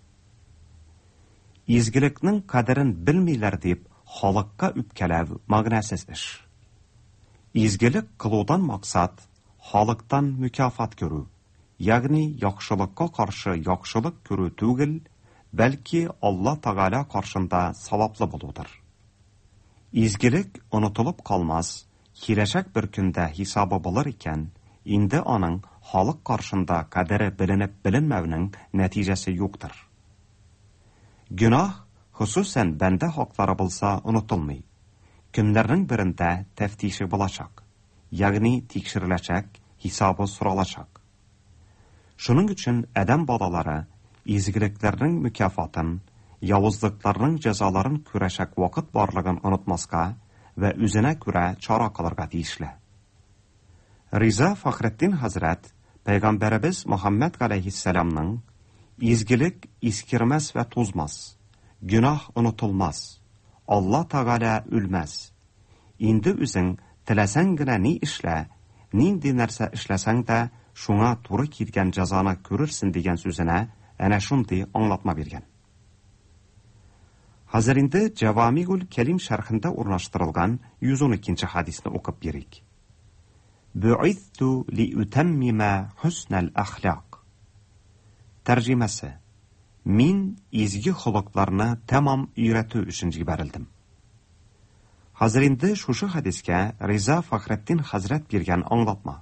Изгелекнең кадерен белмиләр дип халыкка үпкәләү мәгънәсез эш. Изгелек кылудан максат халыктан мөкафат күрү, ягъни яхшылыкка каршы яхшылык күрү түгел, бәлки Алла Тәгалә каршында саваплы булудыр. Изгелек онытылып калмас, киләчәк бер көндә хисабы булыр икән, инде аның халык каршында кадере беленеп беленмәүнең нәтиҗәсе юктыр. Гөнаһ, хосусән бәндә хаклары булса, онытылмый. Көннәрнең берендә тәфтише булачак, ягъни тикшереләчәк, хисабы соралачак. Шуның өчен адәм балалары изгелекләрнең мөкафатын, явызлыкларның җәзаларын күрәчәк вакыт барлыгын онытмаска вә үзенә күрә чара кылырга тиешле. Риза Фәхретдин хәзрәт Пәйгамбәребез Мөхәммәд галәйһиссәламның изгелек искермәс вә тузмас, гөнаһ онытылмас, Алла Тәгалә үлмәс. Инде үзең теләсәң генә ни эшлә, нинди нәрсә эшләсәң дә, шуңа туры килгән җәзаны күрерсең дигән сүзенә әнә шундый аңлатма биргән. Хәзер инде Җавамигул Кәлим шәрхендә урнаштырылган йөз уникенче хәдисне укып бирик. Бу'ithtu liutammima husnal ахлак. Тәрҗемәсе: Мин изге холыкларны тәмам өйрәтү өчен җибәрелдем. Хәзер инде шушы хәдискә Риза Фәхретдин хәзрәт биргән аңлатма.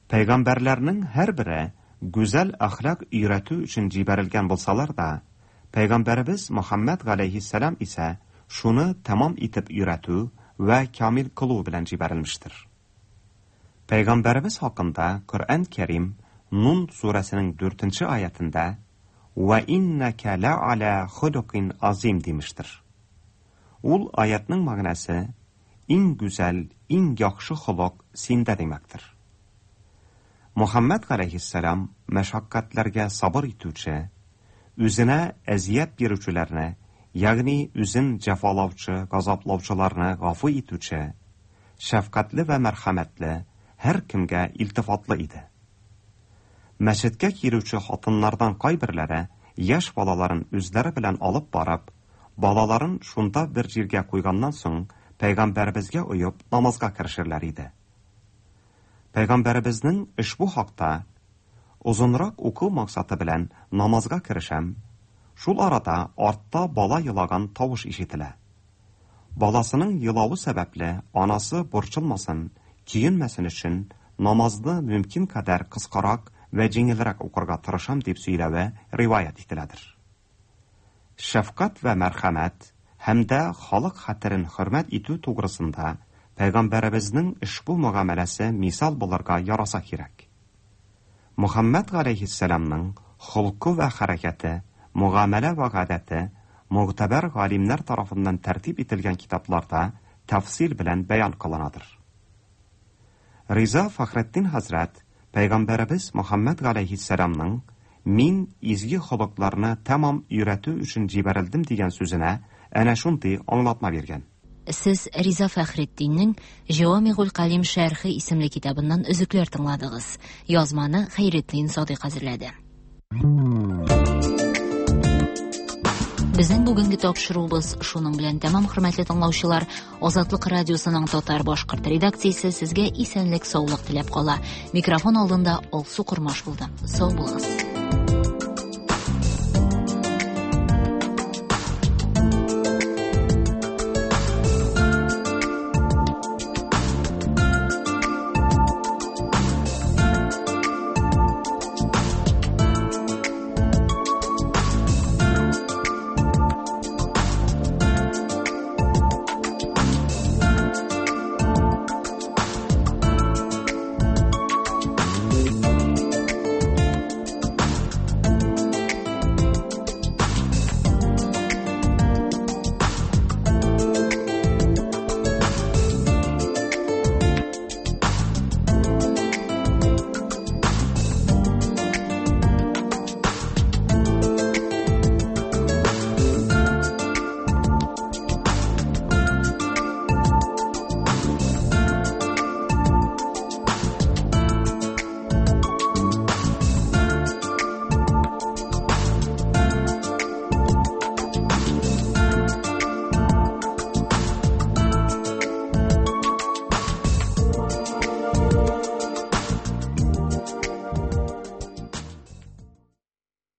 Пәйгамбәрләрнең һәрбере гүзәл әхлак өйрәтү өчен җибәрелгән булсалар да, Пәйгамбәребез Мөхәммәд галәйһиссәлам исә шуны тәмам итеп өйрәтү вә камил кылу белән җибәрелмештер. Пәйгамбәребез хакында Коръән Кәрим Нун сүрәсенең дүртенче аятында «Вә иннәкә лә'аля хулукин азим» димештер. Ул аятның мәгънәсе иң гүзәл, иң яхшы холык синдә димәктер. Мөхәммәд галәйһиссәлам мәшәкатьләргә сабыр итүче, үзенә әзият бирүчеләрне, ягъни үзен җәфалаучы, газаплаучыларны гафу итүче, шәфкатьле вә мәрхәмәтле, һәркемгә илтифатлы иде. Мәчеткә килүче хатыннардан кайберләре яшь балаларын үзләре белән алып барып, балаларын шунда бер җиргә куйганнан соң пәйгамбәребезгә оеп намазга керешерләр иде. Пәйгамбәребезнең ошбу хакта озынрак уку максаты белән намазга керешәм, шул арада артта бала елаган тавыш ишетелә. Баласының елавы сәбәпле анасы борчылмасын, көенмәсен өчен намазны мөмкин кадәр кыскарак вә җиңелрәк укырга тырышам дип сөйләве риваять ителәдер. Шәфкать вә мәрхәмәт һәм дә халык хәтерен хөрмәт итү тугрысында пәйгамбәребезнең ошбу мөгамәләсе мисал булырга яраса кирәк. Мөхәммәд галәйһиссәламның холкы вә хәрәкәте, мөгамәлә вә гадәте мөгътәбәр галимнәр тарафыннан тәртип ителгән китапларда тәфсил белән бәян кылынадыр. Риза Фәхретдин хәзрәт Пәйгамбәребез Мөхәммәд галәйһиссәламның «Мин изге холыкларны тәмам өйрәтү өчен җибәрелдем» дигән сүзенә әнә шундый аңлатма биргән. Сез Риза Фәхретдиннең Җавамигул Калим шәрхе исемле китабыннан өзекләр тыңладыгыз. Язманы Хәйретдин Садыйк әзерләде. Безнең бүгенге тапшыруыбыз шуның белән тәмам, хөрмәтле тыңлаучылар. Азатлык радиосының татар башкорт редакциясе сезгә исәнлек, саулык теләп кала. Микрофон алдында Алсу Кормаш булды. Сау булыгыз.